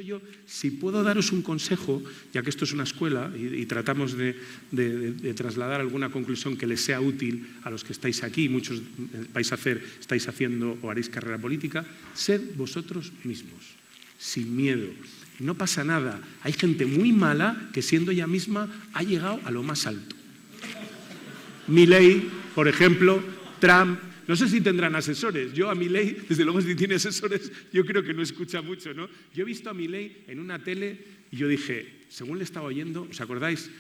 yo, si puedo daros un consejo, ya que esto es una escuela y tratamos de trasladar alguna conclusión que les sea útil a los que estáis aquí, muchos estáis haciendo o haréis carrera política, sed vosotros mismos, sin miedo. No pasa nada. Hay gente muy mala que siendo ella misma ha llegado a lo más alto. Milei, por ejemplo, Trump. No sé si tendrán asesores. Yo a Milei, desde luego si tiene asesores, yo creo que no escucha mucho, ¿no? Yo he visto a Milei en una tele y yo dije, según le estaba oyendo, ¿os acordáis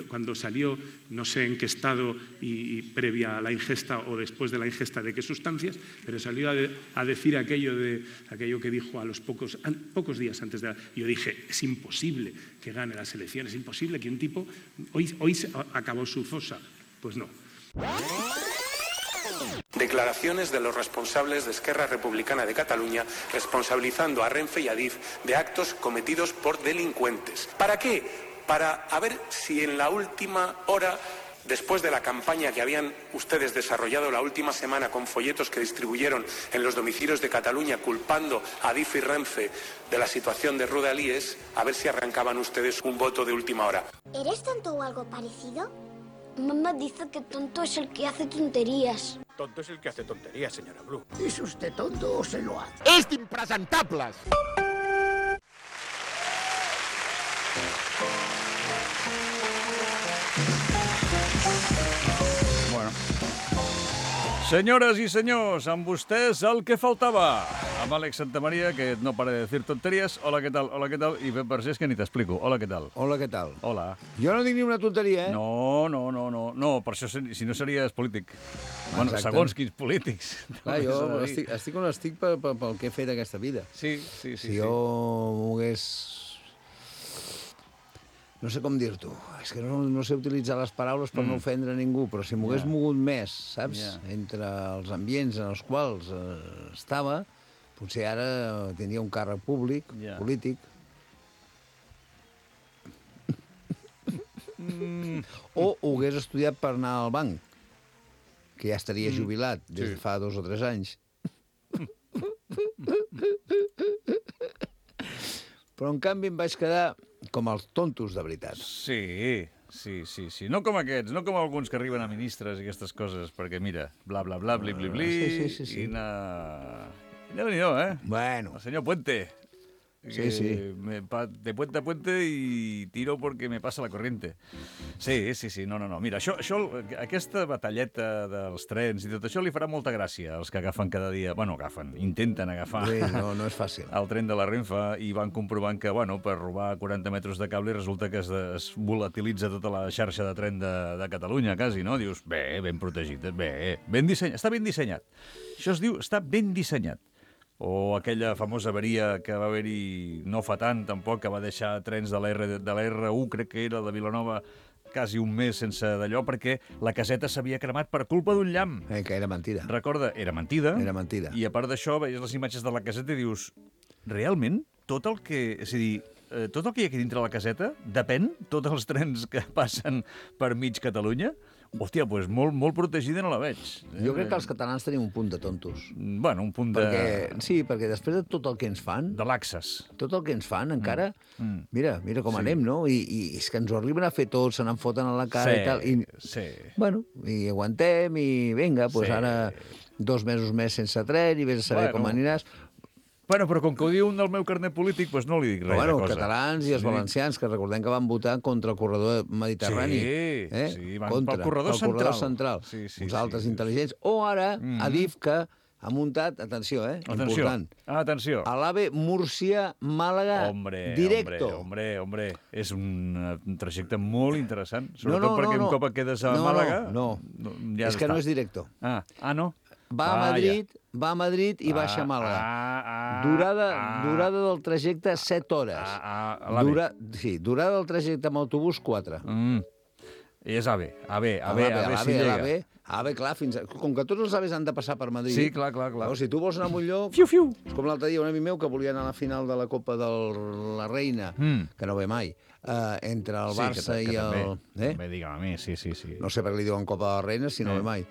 cuando salió, no sé en qué estado y previa a la ingesta o después de la ingesta de qué sustancias, pero salió a decir aquello que dijo a los pocos días antes de y yo dije, es imposible que gane las elecciones, es imposible que un tipo, hoy acabó su fosa. Pues no. Declaraciones de los responsables de Esquerra Republicana de Cataluña responsabilizando a Renfe y a Adif de actos cometidos por delincuentes. ¿Para qué? Para ver si en la última hora, después de la campaña que habían ustedes desarrollado la última semana con folletos que distribuyeron en los domicilios de Cataluña culpando a Adif y Renfe de la situación de Rodalies, a ver si arrancaban ustedes un voto de última hora. ¿Eres tonto o algo parecido? Mamá dice que tonto es el que hace tonterías. Tonto es el que hace tonterías, señora Blue. ¿Es usted tonto o se lo hace? ¡Es de impresentables! Bueno. Senyores i senyors, amb vostès el que faltava. Amb Àlex Santamaría, que no para de decir tonterías. Hola, ¿qué tal? Hola, ¿qué tal? I Pep Vergés, que ni t'explico. Hola, ¿qué tal? Hola, què tal? Hola. Jo no dic ni una tonteria, eh? No, per això, si no series polític. Bueno, Exacte. segons quins polítics. Clar, jo estic on estic pel que he fet aquesta vida. Sí. Si jo m'hagués... No sé com dir-t'ho. És que no sé utilitzar les paraules per no ofendre ningú, però si m'hagués mogut més, saps? Entre els ambients en els quals estava, potser ara tenia un càrrec públic, polític. O ho hagués estudiat per anar al banc, que ja estaria jubilat des de fa 2 o 3 anys. Però, en canvi, em vaig quedar com els tontos de veritat. Sí. No com aquests, no com alguns que arriben a ministres i aquestes coses, perquè mira, bla, bla, bla, bli, bli, bli, Sí. i Déu-n'hi-do, eh? Bueno. El senyor Puente. Sí. De puente a puente y tiro porque me pasa la corriente. Sí. No. Mira, aquesta batalleta dels trens i tot això li farà molta gràcia als que agafen cada dia... Bueno, intenten agafar... Sí, no és fàcil. El tren de la Renfe i van comprovant que, bueno, per robar 40 metres de cable resulta que es volatilitza tota la xarxa de tren de Catalunya, quasi, no? Dius, ben protegit, ben dissenyat. Està ben dissenyat. Això es diu, està ben dissenyat. O aquella famosa avaria que va haver-hi no fa tant, tampoc, que va deixar trens de la R1, crec que era, de Vilanova, quasi un mes sense d'allò, perquè la caseta s'havia cremat per culpa d'un llamp. Que era mentida. Recorda, era mentida. Era mentida. I a part d'això, veies les imatges de la caseta i dius, realment, tot el que... És a dir, tot el que hi ha aquí dintre la caseta depèn, tots els trens que passen per mig Catalunya, hòstia, doncs molt protegida no la veig. Jo crec que els catalans tenim un punt de tontos. Bueno, un punt de... Perquè després de tot el que ens fan... De laxes. Tot el que ens fan, encara... Mira com anem, no? I és que ens ho arriben a fer tots, se n'en foten a la cara i tal. Sí. Bueno, i aguantem i vinga, doncs ara 2 mesos més sense tren i vés a saber com aniràs... Bueno, però com que ho diu un del meu carnet polític, doncs no li dic res de cosa. Els catalans i els valencians, que recordem que van votar contra el corredor mediterrani. Sí, van pel corredor central. Uns altres intel·ligents. O ara, Adif, que ha muntat, atenció, important. Atenció. A l'AVE Múrcia-Màlaga directo. Hombre, és un trajecte molt interessant. Sobretot perquè un cop et quedes a Màlaga... No, és que no és directo. No? Va a Madrid i baixa a Màlaga. Durada del trajecte 7 hores. Durada del trajecte amb autobús 4. I és AVE. AVE, clar, com que tots els AVEs han de passar per Madrid... Sí, clar. Si tu vols anar a un lloc... Fiu. És com l'altre dia un amic meu que volia anar a la final de la Copa de la Reina, que no ve mai, entre el Barça i el... Digue'm a mi, sí. No sé per què li diuen Copa de la Reina, si no ve mai.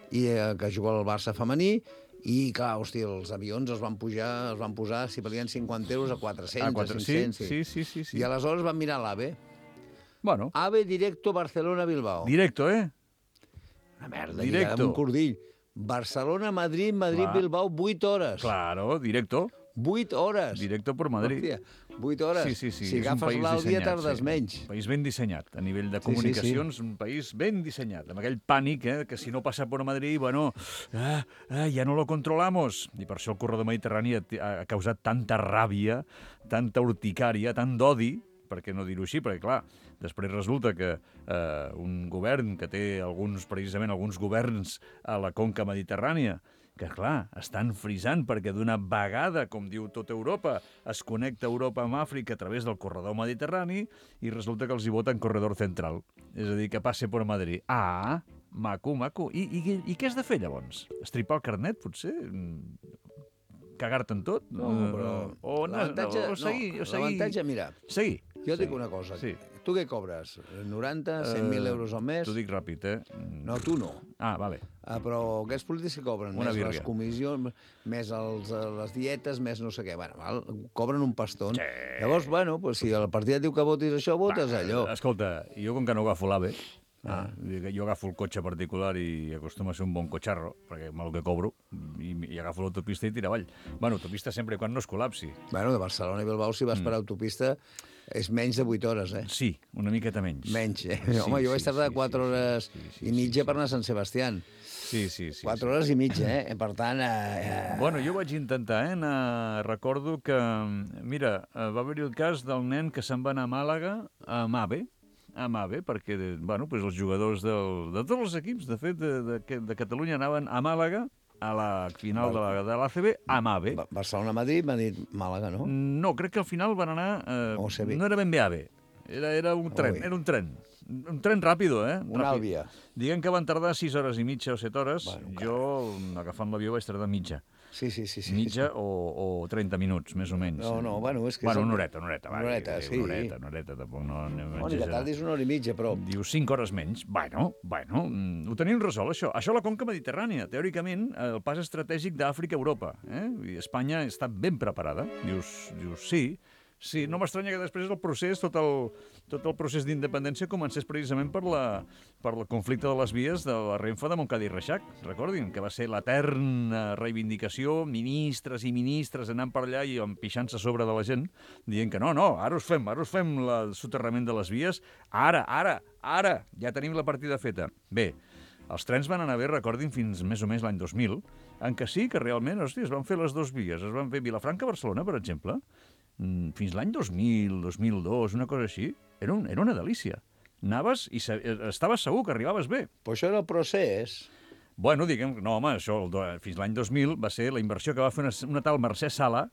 I que juga al Barça femení, I, clar, hòstia, els avions els van posar, si valien 50 euros, a 400, a 500. Sí. I aleshores van mirar l'AVE. Bueno. AVE directo Barcelona-Bilbao. Directo, eh? Una merda, Directo. lligada amb un cordill. Barcelona-Madrid, Madrid-Bilbao, 8 hores. Claro, directo. 8 hores. Directo por Madrid. Hòstia, 8 hores. Sí. Si és un agafes país l'Àudia, dissenyat, tardes menys. Un país ben dissenyat. A nivell de comunicacions, un país ben dissenyat. Amb aquell pànic, que si no passa per Madrid, bueno, ja no lo controlamos. I per això el corredor mediterrani ha causat tanta ràbia, tanta urticària, tant d'odi, per què no dir-ho així? Perquè, clar, després resulta que un govern que té precisament alguns governs a la conca mediterrània, que, clar, estan frisant perquè d'una vegada, com diu tota Europa, es connecta Europa amb Àfrica a través del corredor mediterrani i resulta que els hi voten corredor central. És a dir, que passe per Madrid. Ah, maco. I què has de fer, llavors? Estripar el carnet, potser? Cagar-te en tot? No, però... L'avantatge, mira... Seguir. Jo et dic una cosa. Sí. Tu què cobres? 90, 100.000 euros al mes? T'ho dic ràpid, No, tu no. Ah, vale. Però aquests polítics que cobren? Una més birria. Les comissions, més les dietes, més no sé què. Bueno, cobren un paston. Sí. Llavors, bueno, pues, si el partit et diu que votis això, votes allò. Escolta, jo com que no agafo l'AVE, jo agafo el cotxe particular i acostuma a ser un bon cotxarro, perquè amb el que cobro, i agafo l'autopista i tira avall. Bueno, autopista sempre quan no es col·lapsi. Bueno, de Barcelona i Bilbao, si vas per autopista, és menys de 8 hores, eh? Sí, una miqueta menys. Menys, eh? Home, jo vaig tardar 4 hores i mitja per anar a Sant Sebastián. Sí. 4 hores i mitja, eh? Per tant... Bueno, jo vaig intentar, recordo que, mira, va haver-hi el cas del nen que se'n va anar a Màlaga, amb AVE, perquè, bueno, pues els jugadors de tots els equips, de fet, de Catalunya anaven a Màlaga, a la final de l'ACB, amb AVE. Barcelona-Madrid, Màlaga, no? No, crec que al final van anar... no era ben bé AVE, era un tren, un tren ràpido, eh? Una Àlvia. Diguem que van tardar 6 hores i mitja o 7 hores. Bueno, jo, agafant l'avió, vaig tardar mitja. Sí. Mitja o 30 minuts, més o menys. No, bueno, és que... Bueno, una horeta. Una horeta, sí. Una horeta, tampoc no anem a exagerar. Que tardis una hora i mitja, però... Diu 5 hores menys. Bueno, ho tenim resolt, això. Això a la conca mediterrània. Teòricament, el pas estratègic d'Àfrica a Europa. I Espanya està ben preparada. Dius, sí, no m'estranya que després el procés, tot el procés d'independència comencés precisament per el conflicte de les vies de la Renfe de Montcada i Reixac. Recordin que va ser l'eterna reivindicació, ministres i ministres anant per allà i empixant-se a sobre de la gent, dient que no, ara us fem el soterrament de les vies, ara, ja tenim la partida feta. Bé, els trens van anar bé, recordin, fins més o més l'any 2000, en què sí que realment, es van fer les 2 vies, es van fer Vilafranca-Barcelona, per exemple, fins l'any 2000, 2002, una cosa així, era una delícia. Anaves i estaves segur que arribaves bé. Però això era el procés. Bueno, diguem, no, home, això fins l'any 2000 va ser la inversió que va fer una tal Mercè Sala,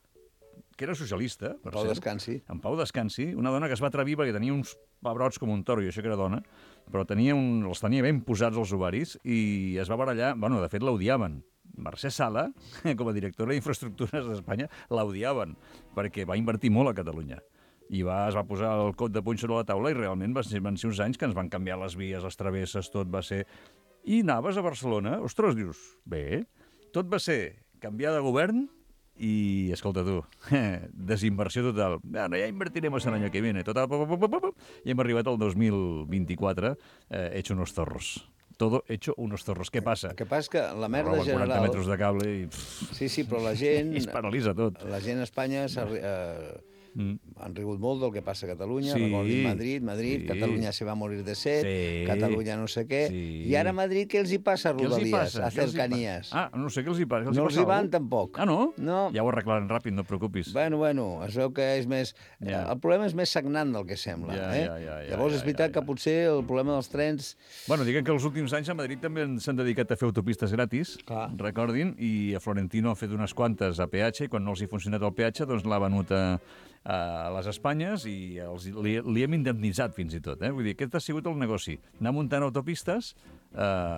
que era socialista, per Pau Descansi. En Pau Descansi, una dona que es va atrevir perquè tenia uns pebrots com un toro, i això que era dona, però els tenia ben posats als ovaris i es va barallar, bueno, de fet l'odiaven. Mercè Sala, com a directora d'infraestructures d'Espanya, l'odiaven, perquè va invertir molt a Catalunya. I es va posar el cot de puny sobre la taula i realment van ser uns anys que ens van canviar les vies, les travesses, tot va ser... I anaves a Barcelona, ostres, dius, bé, tot va ser canviar de govern i, escolta tu, desinversió total. Bueno, ja invertiremos el año que viene. Total, i hem arribat al 2024 hecho unos zorros. Todo hecho unos zorros. Què passa? El que passa és que la merda general... 40 metres de cable i... Sí, però la gent... es paralitza tot. La gent a Espanya han rigut molt del que passa a Catalunya. Recordin Madrid, Catalunya se va a morir de set, Catalunya no sé què. I ara a Madrid què els hi passa a Rodalies, a cercanías? No sé què els hi passa. No els hi van tampoc. Ah, no? No. Ja ho arreglaran ràpid, no et preocupis. Bueno, es veu que és més... El problema és més sagnant del que sembla. Llavors és veritat que potser el problema dels trens... Bueno, diguem que els últims anys a Madrid també s'han dedicat a fer autopistes gratis, recordin, i a Florentino ha fet unes quantes a peatge, i quan no els hi ha funcionat el peatge, doncs l'ha venut a les Espanyes i li hem indemnitzat fins i tot. Vull dir, aquest ha sigut el negoci. Anar muntant autopistes,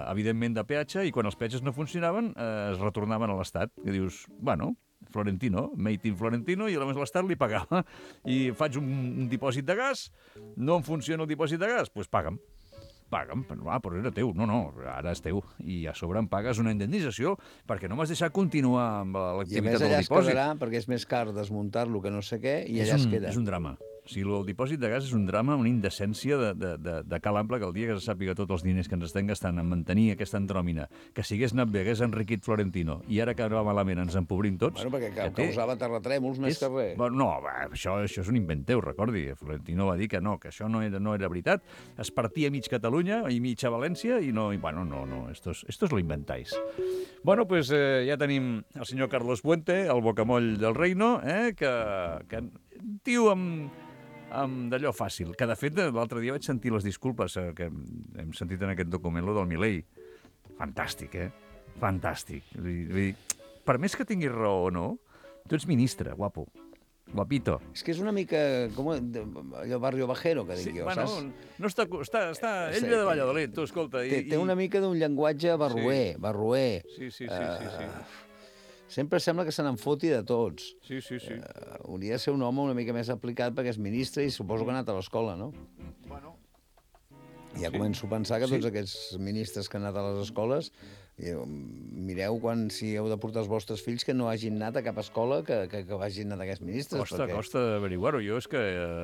evidentment de peatge, i quan els peatges no funcionaven es retornaven a l'Estat. I dius, bueno, Florentino, made in Florentino, i a més l'Estat li pagava. I faig un dipòsit de gas, no em funciona el dipòsit de gas, doncs paga'm. paga'm, però era teu. No, ara és teu. I a sobre em pagues una indemnització perquè no m'has deixat continuar amb I a l'activitat més del allà es dipòsit. quedarà perquè és més car desmuntar-lo que no sé què i allà es queda. És un drama. O sigui, el dipòsit de gas és un drama, una indecència de cal ample que el dia que se sàpiga tots els diners que ens estem gastant en mantenir aquesta andròmina, que si hagués anat bé, hagués enriquit Florentino, i ara que va malament ens empobrim tots... Bueno, perquè causava terratrèmols més que res. Bueno, no, això és un invent teu, recordi. Florentino va dir que no, que això no era veritat. Es partia mig Catalunya i mig a València i no... Bueno, no, esto lo inventáis. Bueno, pues ja tenim el senyor Carlos Puente, el bocamoll del reino, que tio amb d'allò fàcil, que de fet l'altre dia vaig sentir les disculpes que hem sentit en aquest document, lo del Milei. Fantàstic, Fantàstic. Vull dir, per més que tinguis raó o no, tu ets ministre, guapo. Guapito. És que és una mica com allò barrio bajero, que dic jo, bueno, saps? No està... Ell ve de Valladolid, tu, escolta. Té una mica d'un llenguatge barroer. Sí. Sempre sembla que se n'en foti de tots. Sí. Hauria de ser un home una mica més aplicat perquè és ministre i suposo que ha anat a l'escola, no? Bueno. Ja començo a pensar que tots aquests ministres que han anat a les escoles, mireu si heu de portar els vostres fills que no hagin anat a cap escola que hagin anat aquests ministres. Costa averiguar-ho. Jo és que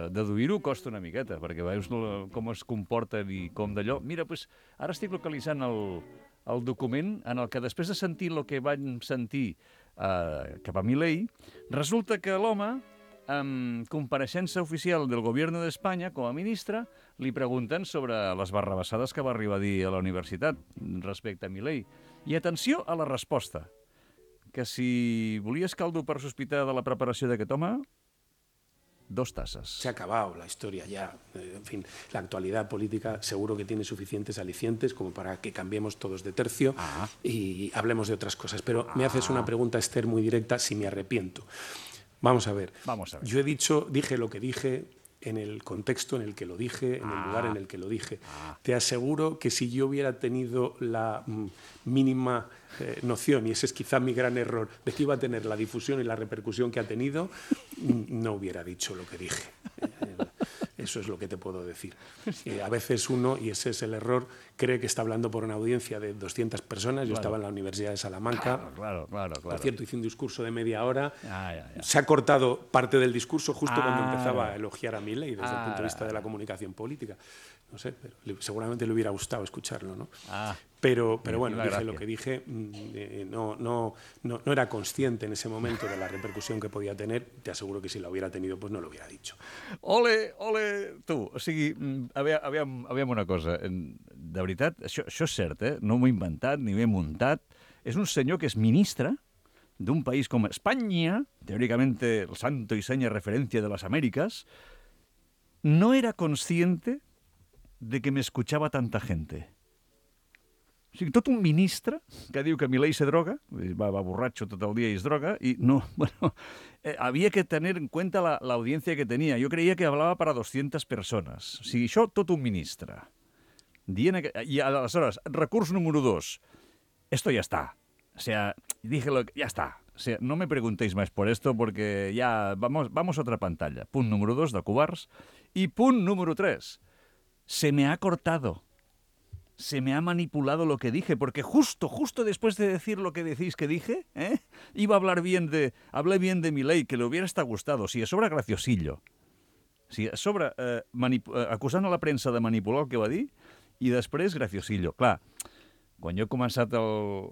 deduir-ho costa una miqueta, perquè veus com es comporten i com d'allò. Mira, doncs, ara estic localitzant el document en el que després de sentir el que van sentir cap a Milei, resulta que l'home, en compareixença oficial del govern d'Espanya, com a ministre, li pregunten sobre les barrabassades que va arribar a dir a la universitat respecte a Milei. I atenció a la resposta, que si volies caldo per sospitar de la preparació d'aquest home, 2 tazas. Se ha acabado la historia ya. En fin, la actualidad política seguro que tiene suficientes alicientes como para que cambiemos todos de tercio y hablemos de otras cosas. Pero me haces una pregunta, Esther, muy directa, si me arrepiento. Vamos a ver. Yo dije lo que dije en el contexto en el que lo dije, en el lugar en el que lo dije. Te aseguro que si yo hubiera tenido la mínima noción, y ese es quizá mi gran error, de que iba a tener la difusión y la repercusión que ha tenido, no hubiera dicho lo que dije. Eso es lo que te puedo decir. A veces uno, y ese es el error, cree que está hablando por una audiencia de 200 personas. Yo estaba en la Universidad de Salamanca. Claro. Por cierto, hice un discurso de media hora. Se ha cortado parte del discurso justo cuando empezaba a elogiar a Milei desde el punto de vista de la comunicación política. No sé, pero seguramente le hubiera gustado escucharlo, ¿no? Pero bueno, dije lo que dije. No era consciente en ese momento de la repercusión que podía tener. Te aseguro que si la hubiera tenido, pues no lo hubiera dicho. Ole, tu. O sigui, aviam una cosa. De veritat, això és cert, no m'ho he inventat ni ho he muntat. És un senyor que és ministre d'un país com Espanya, teóricamente el santo y seña referencia de las Américas, no era consciente de que me escuchaba tanta gente. O sigui, tot un ministre que diu que Milei se droga, va borratxo tot el dia i es droga, i no, bueno, havia que tener en cuenta la audiencia que tenia. Jo creia que hablava para 200 persones. O sigui, això tot un ministre. I aleshores, recurs número 2. Esto ya está. O sea, dije ya está. O sea, no me preguntéis más por esto porque ya vamos a otra pantalla. Punt número 2 de covards. I punt número 3. Se me ha cortado. Se me ha manipulado lo que dije, porque justo después de decir lo que decís que dije, iba a hablé bien de Milei, que le hubiera hasta gustado. Si a sobre graciosillo. Si a sobre acusant a la premsa de manipular el que va dir, i després graciosillo. Clar, quan jo he començat el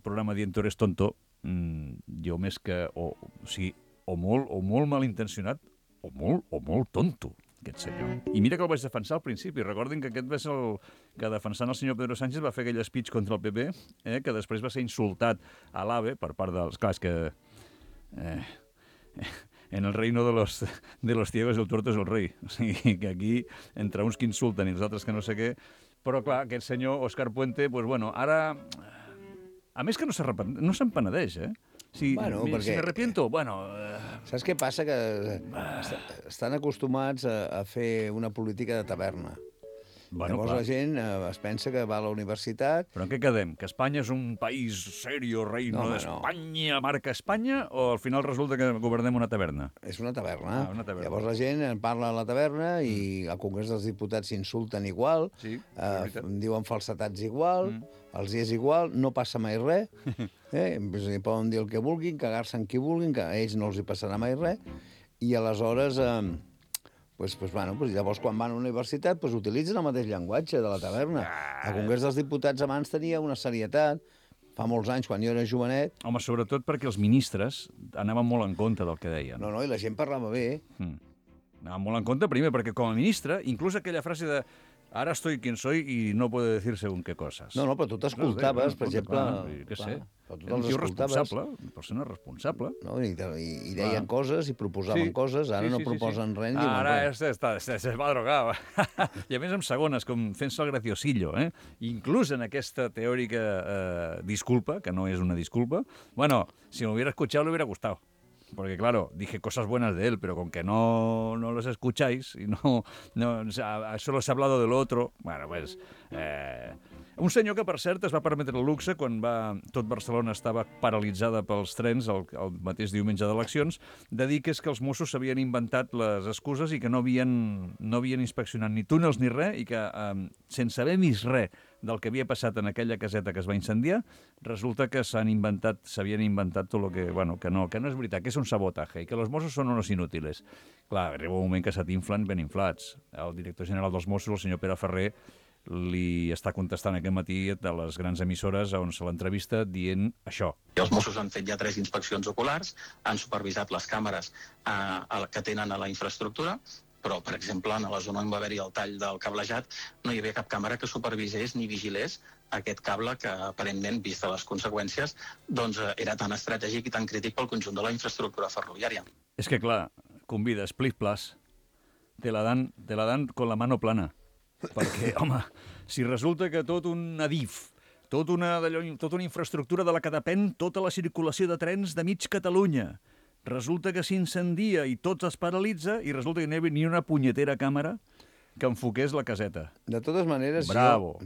programa dient tu eres tonto, jo més que... O molt malintencionat o molt tonto, aquest senyor. I mira que el vaig defensar al principi. Recordin que aquest va ser el que defensant el senyor Pedro Sánchez va fer aquell speech contra el PP, que després va ser insultat a l'AVE per part dels... Clar, és que... en el reino de los ciegos el tuerto es el rei. O sigui, que aquí, entre uns que insulten i els altres que no sé què... Però, clar, aquest senyor, Òscar Puente, pues, bueno, ara... A més que no s'empenedeix, Si me arrepiento, bueno... Saps què passa? Que estan acostumats a fer una política de taverna. Bueno, Llavors clar. la gent es pensa que va a la universitat. Però en què quedem? Que Espanya és un país serio, reino No, home, d'Espanya, marca Espanya, o al final resulta que governem una taverna? És una taverna. Ah, una taverna. Llavors la gent en parla a la taverna i al Congrés dels Diputats s'insulten igual, Sí, és veritat. diuen falsetats igual, els és igual, no passa mai res. Poden dir el que vulguin, cagar-se en qui vulguin, que a ells no els hi passarà mai res. I aleshores, llavors quan van a la universitat utilitzen el mateix llenguatge de la taverna. El Congrés dels Diputats abans tenia una serietat, fa molts anys, quan jo era jovenet. Home, sobretot perquè els ministres anaven molt en compte del que deien. No, i la gent parlava bé. Anaven molt en compte, primer, perquè com a ministre, inclús aquella frase de ara estoy quien soy y no puedo decir según qué coses. No, però tu t'escoltaves, per exemple... Què sé, però tu era un te'ls tio escoltaves. responsable, persona responsable. No? I deien coses i proposaven coses, ara no proposen res ni diuen Ara res. se va drogar. I a més amb segones, com fent-se el graciosillo. Inclús en aquesta teòrica disculpa, que no es una disculpa, bueno, si me hubiera escuchado le hubiera gustado. Porque, claro, dije cosas buenas de él, pero con que no los escucháis y no o sea, solo se ha hablado de lo otro, bueno, pues... Un senyor que, per cert, es va permetre el luxe quan tot Barcelona estava paralitzada pels trens el mateix diumenge d'eleccions, de dir que és que els Mossos s'havien inventat les excuses i que no havien inspeccionat ni túnels ni res i que, sense haver vist res del que havia passat en aquella caseta que es va incendiar, resulta que s'havien inventat tot el que... Bueno, que no és veritat, que és un sabotatge i que els Mossos són unos inútiles. Clar, arriba un moment que s'atinflen ben inflats. El director general dels Mossos, el senyor Pere Ferrer, li està contestant aquest matí de les grans emissores on se l'entrevista dient això. Els Mossos han fet ja 3 inspeccions oculars, han supervisat les càmeres que tenen a la infraestructura, però, per exemple, en la zona on va haver-hi el tall del cablejat no hi havia cap càmera que supervisés ni vigilés aquest cable que, aparentment, vista les conseqüències, doncs era tan estratègic i tan crític pel conjunt de la infraestructura ferroviària. És que, clar, convida, split plus, te la dan con la mano plana. Perquè, home, si resulta que tot un adif, tota una infraestructura de la que depèn tota la circulació de trens de mig Catalunya, resulta que s'incendia i tot es paralitza i resulta que no hi havia ni una punyetera càmera que enfoqués la caseta. De totes maneres, Bravo.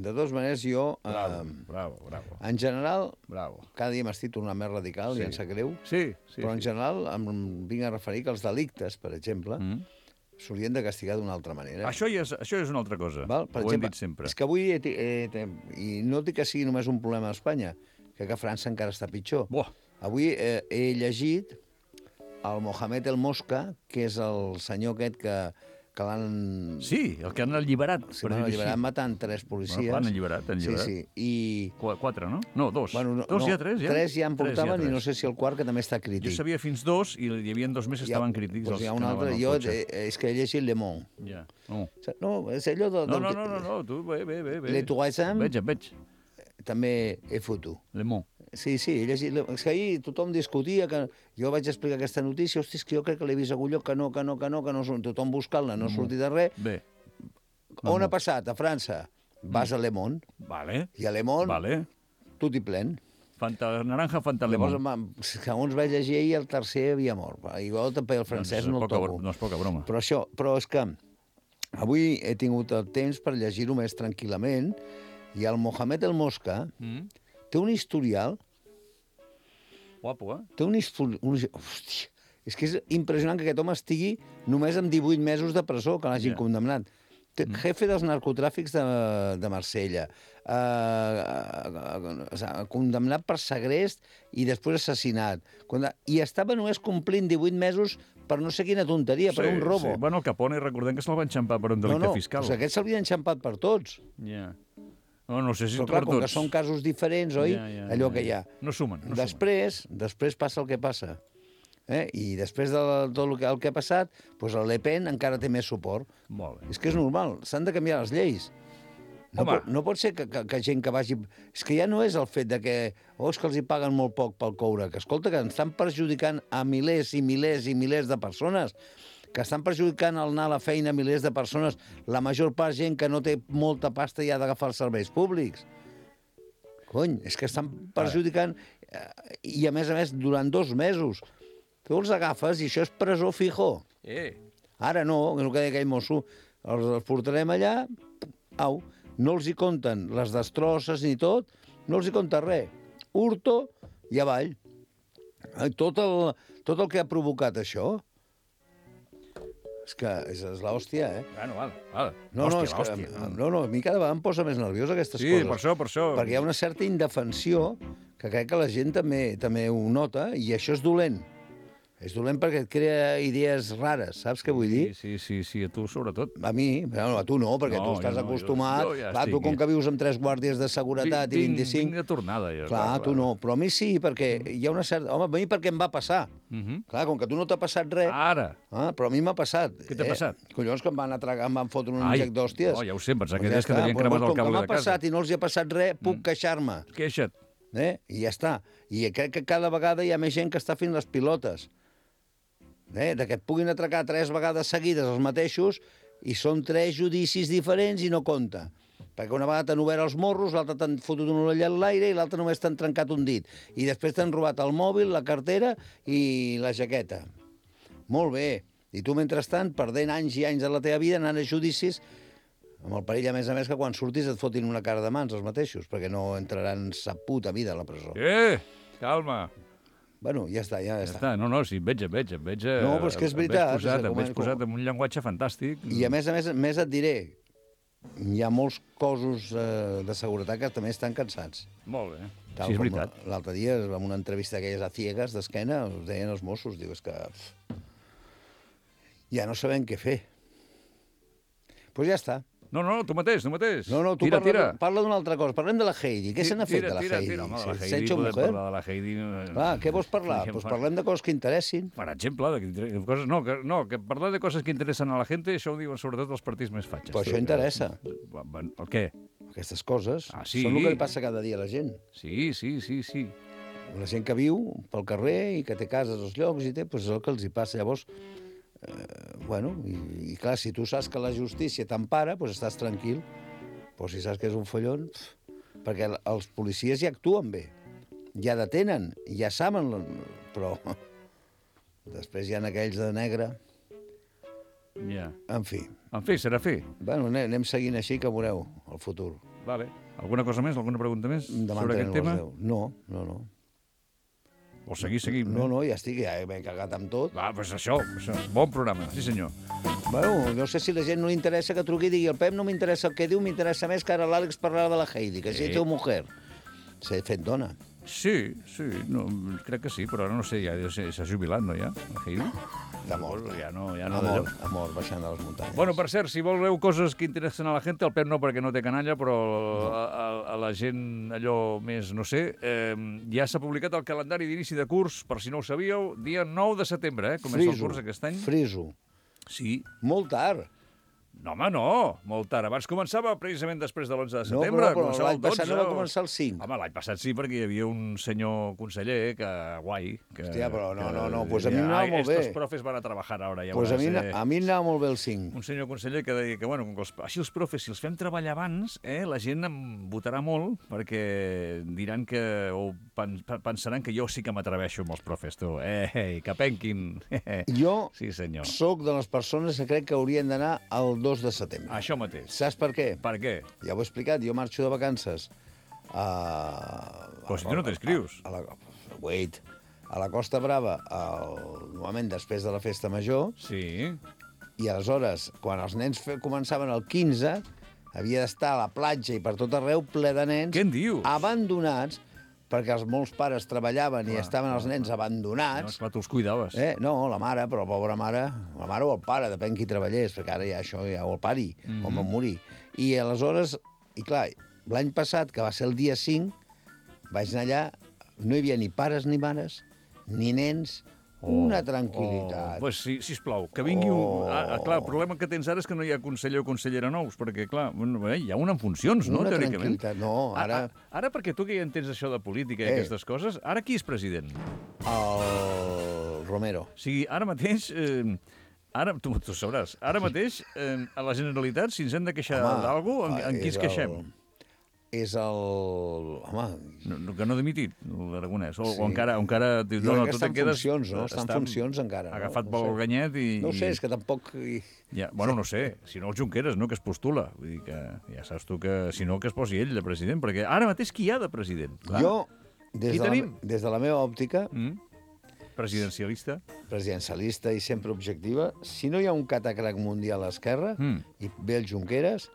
jo... Bravo. En general, Bravo. cada dia m'estic tornant més radical, i em sap greu, Sí. però en general em vinc a referir que els delictes, per exemple, s'haurien de castigar d'una altra manera. Això és una altra cosa. Val? Per Ho exemple, hem dit sempre. és que avui, i no dic que sigui només un problema a Espanya, que a França encara està pitjor. Buah. Avui he llegit el Mohamed El Mosca, que és el senyor aquest que l'han... Sí, el que han alliberat. Sí, l'han alliberat matant 3 policies. Bueno, l'han alliberat. Sí. I... 4, no? No, 2. Bueno, 2 ja, 3 ja? 3 ja en portaven ja i no sé si el quart, que també està crític. Jo sabia fins 2 i hi havia 2 més que estaven crítics. Doncs els hi ha que un anaven altre. al Jo, cotxe. és que he llegit Le Monde. Ja. No. No, és allò del... No, tu, bé. Le Tourisme. Veig. També he fotut. Le Mans. Sí, he llegit... És que ahir tothom discutia, que jo vaig explicar aquesta notícia, hosti, és que jo crec que l'he vist a algun lloc, que no, tothom buscant-la, no ha sortit de res. Bé. On ha passat? A França. Vas a Le Monde. Vale. I a Le Monde, Vale. tot i plen. Naranja, Fanta, Le Llavors, Mans. segons vaig llegir ahir, el tercer havia mort. Igual també el francès no el toco. No és poca broma. Però és que avui he tingut el temps per llegir-ho més tranquil·lament i el Mohamed El Mosca té un historial... Guapo, Té un historial... Hòstia, és que és impressionant que aquest home estigui només amb 18 mesos de presó, que l'hagin condemnat. Jefe dels narcotràfics de Marsella, condemnat per segrest i després assassinat. I estava només complint 18 mesos per no sé quina tonteria, per un robo. Sí. Bueno, el Capone, recordem que se'l va enxampar per un delicte fiscal. No, aquest se'l havia enxampat per tots. Ja. No sé si però clar, com que són casos diferents, oi? Allò que hi ha. No sumen. Després passa el que passa. I després de tot el que ha passat, doncs el Le Pen encara té més suport. Molt bé. És que és normal, s'han de canviar les lleis. No pot ser que gent que vagi... És que ja no és el fet de que és que els hi paguen molt poc pel coure, que escolta, que estan perjudicant a milers i milers i milers de persones, que estan perjudicant el anar a la feina a milers de persones, la major part gent que no té molta pasta i ha d'agafar els serveis públics. Cony, és que estan perjudicant i a més, durant 2 mesos. Tu els agafes i això és presó fijo. Ara no, el que deia aquell mosso, els portarem allà Au, no els hi compten les destrosses ni tot, no els hi compta res. Hurto i avall. Tot el que ha provocat això, és que és l'hòstia, Bueno, val. No, a mi cada vegada em posa més nerviós aquestes coses. Sí, per això. Perquè hi ha una certa indefensió que crec que la gent també ho nota, i això és dolent. És dolent perquè et crea idees rares, saps què vull dir? Sí, a tu sobretot. A mi? Bueno, a tu no, perquè tu estàs acostumat. Clar, tu com que vius amb 3 guàrdies de seguretat i 25... Vinc de tornada, jo. Clar, tu no, però a mi sí, perquè hi ha una certa... Home, a mi perquè em va passar. Clar, com que tu no t'ha passat res... Ara. Però a mi m'ha passat. Què t'ha passat? Collons, que em van atragar, em van fotre un inject d'hòsties. Ja ho sé, pensava que deies que t'havien cremat el cable de casa. Com que m'ha passat i no els hi ha passat res, puc queixar-me. Queixa't. I ja està. I crec que cada vegada hi ha més gent que està fent les pilotes. De que et puguin atracar 3 vegades seguides els mateixos i són 3 judicis diferents i no compta. Perquè una vegada t'han obert els morros, l'altra t'han fotut un orell en l'aire i l'altra només t'han trencat un dit. I després t'han robat el mòbil, la cartera i la jaqueta. Molt bé. I tu, mentrestant, perdent anys i anys de la teva vida, anant a judicis, amb el perill, a més, que quan surtis et fotin una cara de mans els mateixos, perquè no entraran sa puta vida a la presó. Calma. Bueno, ja està. No, sí, et veig. No, però és que és veritat. Em veig posat en un llenguatge fantàstic. I a més et diré, hi ha molts cossos de seguretat que també estan cansats. Molt bé. Sí, és veritat. L'altre dia, en una entrevista d'aquelles a ciegues d'esquena, us deien els Mossos, diu, és que ja no sabem què fer. Doncs ja està. No, tu mateix. No, tu parla d'una altra cosa. Parlem de la Heidi. Què se n'ha fet de la Heidi? Home, de la Heidi, podem parlar de la Heidi... Clar, què vols parlar? Doncs parlem de coses que interessin. Per exemple, que parlar de coses que interessen a la gent, això ho diuen sobretot els partits més fatxes. Però això interessa. El què? Aquestes coses sí? Són el que li passa cada dia a la gent. Sí. La gent que viu pel carrer i que té cases als llocs i és el que els hi passa. Llavors, i clar, si tu saps que la justícia t'empara, doncs estàs tranquil. Però si saps que és un follon... Perquè els policies ja actuen bé, ja detenen, ja saben, però després hi ha aquells de negre... Ja. En fi. Serà fi. Bueno, anem seguint així, que veureu el futur. Vale. Alguna cosa més? Alguna pregunta més sobre aquest tema? No. Vols seguir? No, ja estic, ja m'he cagat amb tot. Doncs això. Bon programa, sí senyor. Bueno, no sé si a la gent no li interessa que truqui i digui el Pep no m'interessa el que diu, m'interessa més que ara l'Àlex parlarà de la Heidi, que si teu mujer. S'ha fet dona. Sí, crec que sí, però ara no sé, ja s'ha jubilat, no, ja, la Heidi? De mort. Ja no Amor, baixant de les muntanyes. Bueno, per cert, si voleu coses que interessen a la gent, el Pep no, perquè no té canalla, però a la gent allò més, no sé, ja s'ha publicat el calendari d'inici de curs, per si no ho sabíeu, dia 9 de setembre, comença el curs aquest any. Friso. Sí. Molt tard. No, home, no, molt tard. Abans començava precisament després de l'11 de setembre. No, però l'any passat no va començar el 5. Home, l'any passat sí, perquè hi havia un senyor conseller que guai. Hòstia, però no, pues a mi m'anava molt bé. Estos profes van a trabajar ara, ja pues a mi m'anava molt bé el 5. Un senyor conseller que deia que, bueno, així els profes, si els fem treballar abans, la gent em votarà molt, perquè diran que, o pensaran que jo sí que m'atreveixo amb els profes, tu. Que penquin. Jo soc de les persones que crec que haurien d'anar al 2 de setembre. Això mateix. Saps per què? Per què? Ja ho he explicat, jo marxo de vacances però si tu no t'inscrius. A la Costa Brava, normalment després de la festa major. Sí. I aleshores, quan els nens començaven el 15, havia d'estar a la platja i per tot arreu ple de nens... Què en dius? Abandonats, perquè molts pares treballaven i estaven els nens abandonats. No, tu els cuidaves. No, la mare, però la pobra mare, la mare o el pare, depèn qui treballés, perquè ara ja això ja o el pari, o me'n morir. I aleshores, i clar, l'any passat, que va ser el dia 5, vaig anar allà, no hi havia ni pares ni mares, ni nens, una tranquil·litat. Pues sisplau, que vingui un... Clar, el problema que tens ara és que no hi ha conseller o consellera nous, perquè, clar, hi ha un en funcions, no, teòricament? No, ara... Ara, perquè tu que ja entens això de política i aquestes coses, ara qui és president? El Romero. O sigui, ara mateix... Ara, tu sabràs, ara mateix, a la Generalitat, si ens hem de queixar d'algú, en qui ens queixem? és el... Home... Que no ha dimitit, l'Aragonès. O encara... Jo crec que està en quedes... funcions, no? Està en funcions encara. Agafat pel ganyet i... No ho sé, és que tampoc... Ja, bueno, no sé, si no el Junqueras, no?, que es postula. Vull dir que ja saps tu que, si no, que es posi ell de president, perquè ara mateix qui hi ha de president? Clar. Jo, des de la meva òptica... Presidencialista. Presidencialista i sempre objectiva, si no hi ha un catacrac mundial a Esquerra i ve el Junqueras,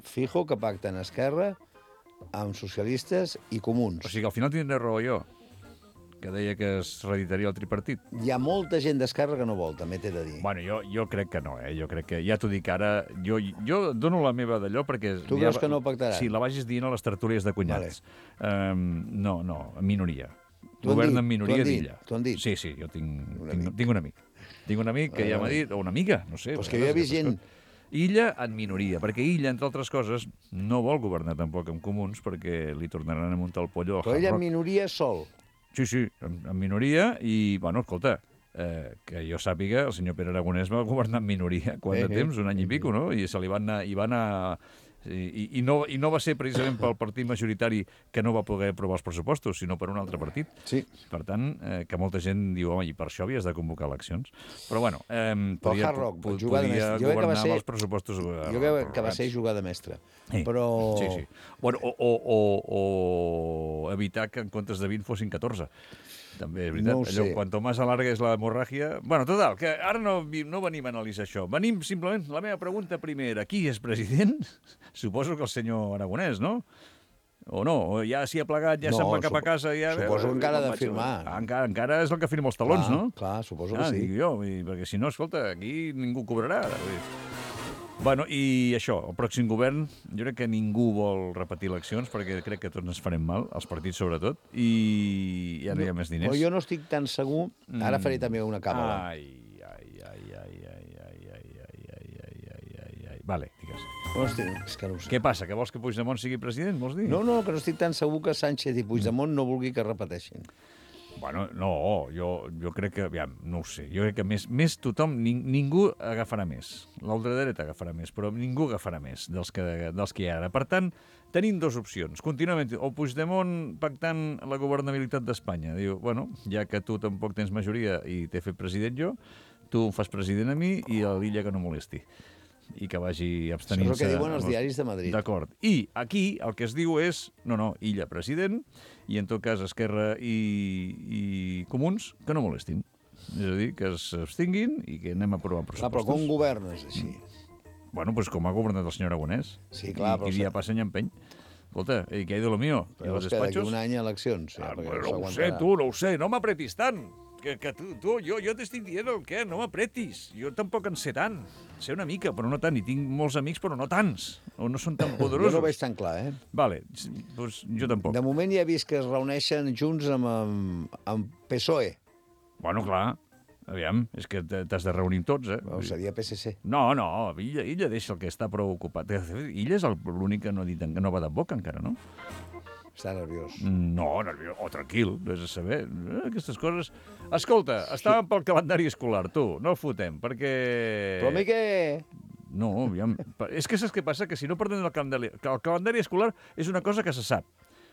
fijo que pacten Esquerra amb socialistes i comuns. O sigui, al final tindré raó jo, que deia que es reeditaria el tripartit. Hi ha molta gent d'Esquerra que no vol, també t'he de dir. Bueno, jo crec que no, Jo crec que, ja t'ho dic ara, jo dono la meva d'allò perquè... Tu creus que no pactaran? Sí, la vagis dient a les tertúlies de cunyats. Vale. No, en minoria. Govern en minoria d'Illa. T'ho han dit? Sí, jo tinc un amic. Tinc un amic que ja m'ha dit, o una amiga, no sé. Però és que jo he vist gent... Illa en minoria, perquè Illa, entre altres coses, no vol governar tampoc amb comuns perquè li tornaran a muntar el pollo al Hard Rock. Però ella en minoria sol. Sí, en minoria i, bueno, escolta, que jo sàpiga, el senyor Pere Aragonès va governar en minoria quant de temps, un any i pico, no? I se li van anar... I no va ser precisament pel partit majoritari que no va poder aprovar els pressupostos, sinó per un altre partit. Sí. Per tant, que molta gent diu, home, i per això havies de convocar eleccions. Però, bueno, podia governar amb els pressupostos... Jo crec que va ser jugada mestra. Però... Sí. Bueno, o evitar que en comptes de 20 fossin 14. També és veritat. No ho sé. Cuanto más alarga és la hemorràgia... Bueno, total, que ara no venim a analitzar això. Venim simplement, la meva pregunta primera, qui és president? Suposo que el senyor Aragonès, no? O no? O ja s'hi ha plegat, ja se'n va cap a casa... Suposo que encara ha de firmar. Encara és el que firma els talons, no? Clar, suposo que sí. Dic jo, perquè si no, escolta, aquí ningú cobrarà. Bueno, i això, el pròxim govern, jo crec que ningú vol repetir eleccions perquè crec que tots ens farem mal, els partits sobretot, i ja no hi ha més diners. Però jo no estic tan segur... Ara faré també una càbala. Vale, digues. És que no ho sé. Què passa, que vols que Puigdemont sigui president, vols dir? No, que no estic tan segur que Sánchez i Puigdemont no vulgui que repeteixin. Bueno, no, jo crec que... Aviam, no ho sé. Jo crec que més tothom... Ningú agafarà més. L'ultradreta agafarà més, però ningú agafarà més dels que hi ha ara. Per tant, tenim dues opcions. Contínuament, o Puigdemont pactant la governabilitat d'Espanya. Diu, bueno, ja que tu tampoc tens majoria i t'he fet president jo, tu em fas president a mi i a l'Illa que no molesti. I que vagi abstenint-se... Això és el que diuen els diaris de Madrid. D'acord. I aquí el que es diu és, no, Illa president, i en tot cas Esquerra i Comuns, que no molestin. És a dir, que s'abstinguin i que anem a aprovar pressupostos. Però com governes així? Bueno, doncs com ha governat el senyor Aragonès. Sí, clar, però... I dia passa any empeny. Escolta, què hi ha de lo mío? Però és que d'aquí un any eleccions. No ho sé, no m'apretis tant. Que tu, jo t'estic dient el què, no m'apretis. Jo tampoc en sé tant. Sé una mica, però no tant. I tinc molts amics, però no tants. O no són tan poderosos. Jo no ho veig tan clar, Vale, doncs jo tampoc. De moment ja he vist que es reuneixen junts amb PSOE. Bueno, clar. Aviam, és que t'has de reunir tots, Bueno, seria PSC. No, Illa deixa el que està prou ocupat. Illa és l'únic que no va de boca encara, no? Està nerviós. No, nerviós. O tranquil, vés a saber. Aquestes coses... Escolta, estàvem pel calendari escolar, tu, no el fotem, perquè... Però a mi què? No, aviam. És que saps què passa? Que si no perdem el calendari escolar és una cosa que se sap.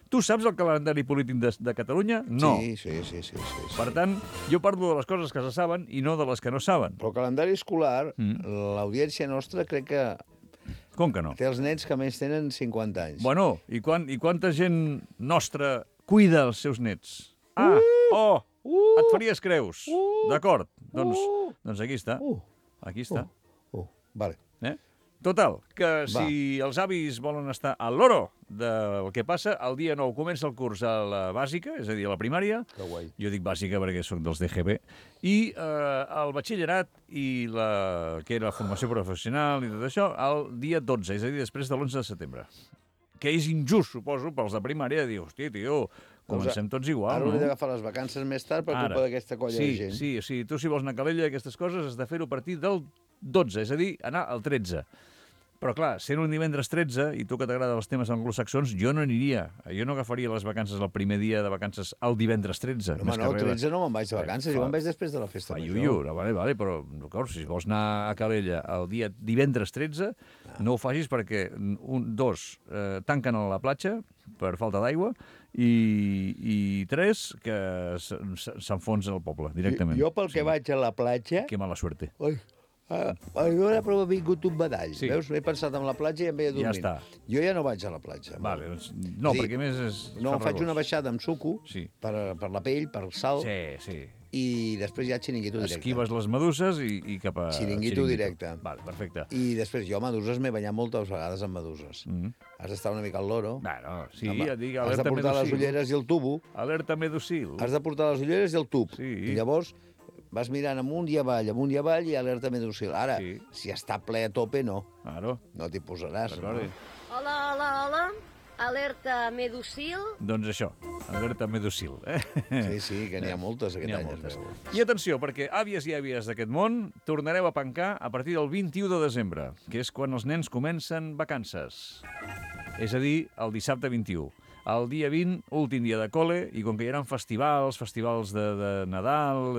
Tu saps el calendari polític de Catalunya? No. Sí. Per tant, jo parlo de les coses que se saben i no de les que no saben. Però el calendari escolar, l'audiència nostra crec que... Com que no? Té els nens que més tenen 50 anys. Bueno, i quanta gent nostra cuida els seus nets? Et faries creus. D'acord, doncs aquí està. Aquí està. Vale. Total, que si els avis volen estar al loro del que passa, el dia 9 comença el curs a la bàsica, és a dir, a la primària. Que guai. Jo dic bàsica perquè soc dels DGB. I el batxillerat i que era la formació professional i tot això, el dia 12, és a dir, després de l'11 de setembre. Que és injust, suposo, pels de primària, de dir, hòstia, tio, comencem tots igual, Ara no? hauré d'agafar les vacances més tard per culpa d'aquesta colla de gent. Sí, tu si vols anar a Calella i aquestes coses has de fer-ho a partir del 12, és a dir, anar al 13. Però clar, sent un divendres 13, i tu que t'agraden els temes anglosaxons, jo no aniria. Jo no agafaria les vacances el primer dia de vacances el divendres 13. Home, no, el 13 no me'n vaig de vacances, jo me'n vaig després de la festa major. Iuiu, vale, però d'acord, si vols anar a Calella el dia divendres 13, no ho facis perquè, tanquen a la platja per falta d'aigua, i 3, que s'enfonsa el poble directament. Jo pel que vaig a la platja... Que mala suerte. Ui, jo ara però ha vingut un badall. Sí. Veus? M'he pensat en la platja i em veia dormint. Ja està. Jo ja no vaig a la platja. Vale, no, perquè més és... No, faig una baixada amb suco, sí, per la pell, per el sal, sí, i després ja xiringuito directe. Esquives les meduses i cap a... Xiringuito directe. Vale, perfecte. I després jo a meduses m'he banyat moltes vegades amb meduses. Has d'estar una mica al loro. Bueno, sí, ja dic, has de portar les ulleres i el tubo. Alerta medusil. Has de portar les ulleres i el tub. Sí. I llavors vas mirant amunt i avall, i alerta medusil. Ara, sí, si està ple a tope, no. Claro. No t'hi posaràs. No? Hola. Alerta medusil. Doncs això, alerta medusil. Sí, que n'hi ha moltes aquest any. Moltes. I atenció, perquè àvies i àvies d'aquest món, tornareu a pencar a partir del 21 de desembre, que és quan els nens comencen vacances. És a dir, el dissabte 21. El dia 20, últim dia de col·le, i com que hi ha festivals de Nadal,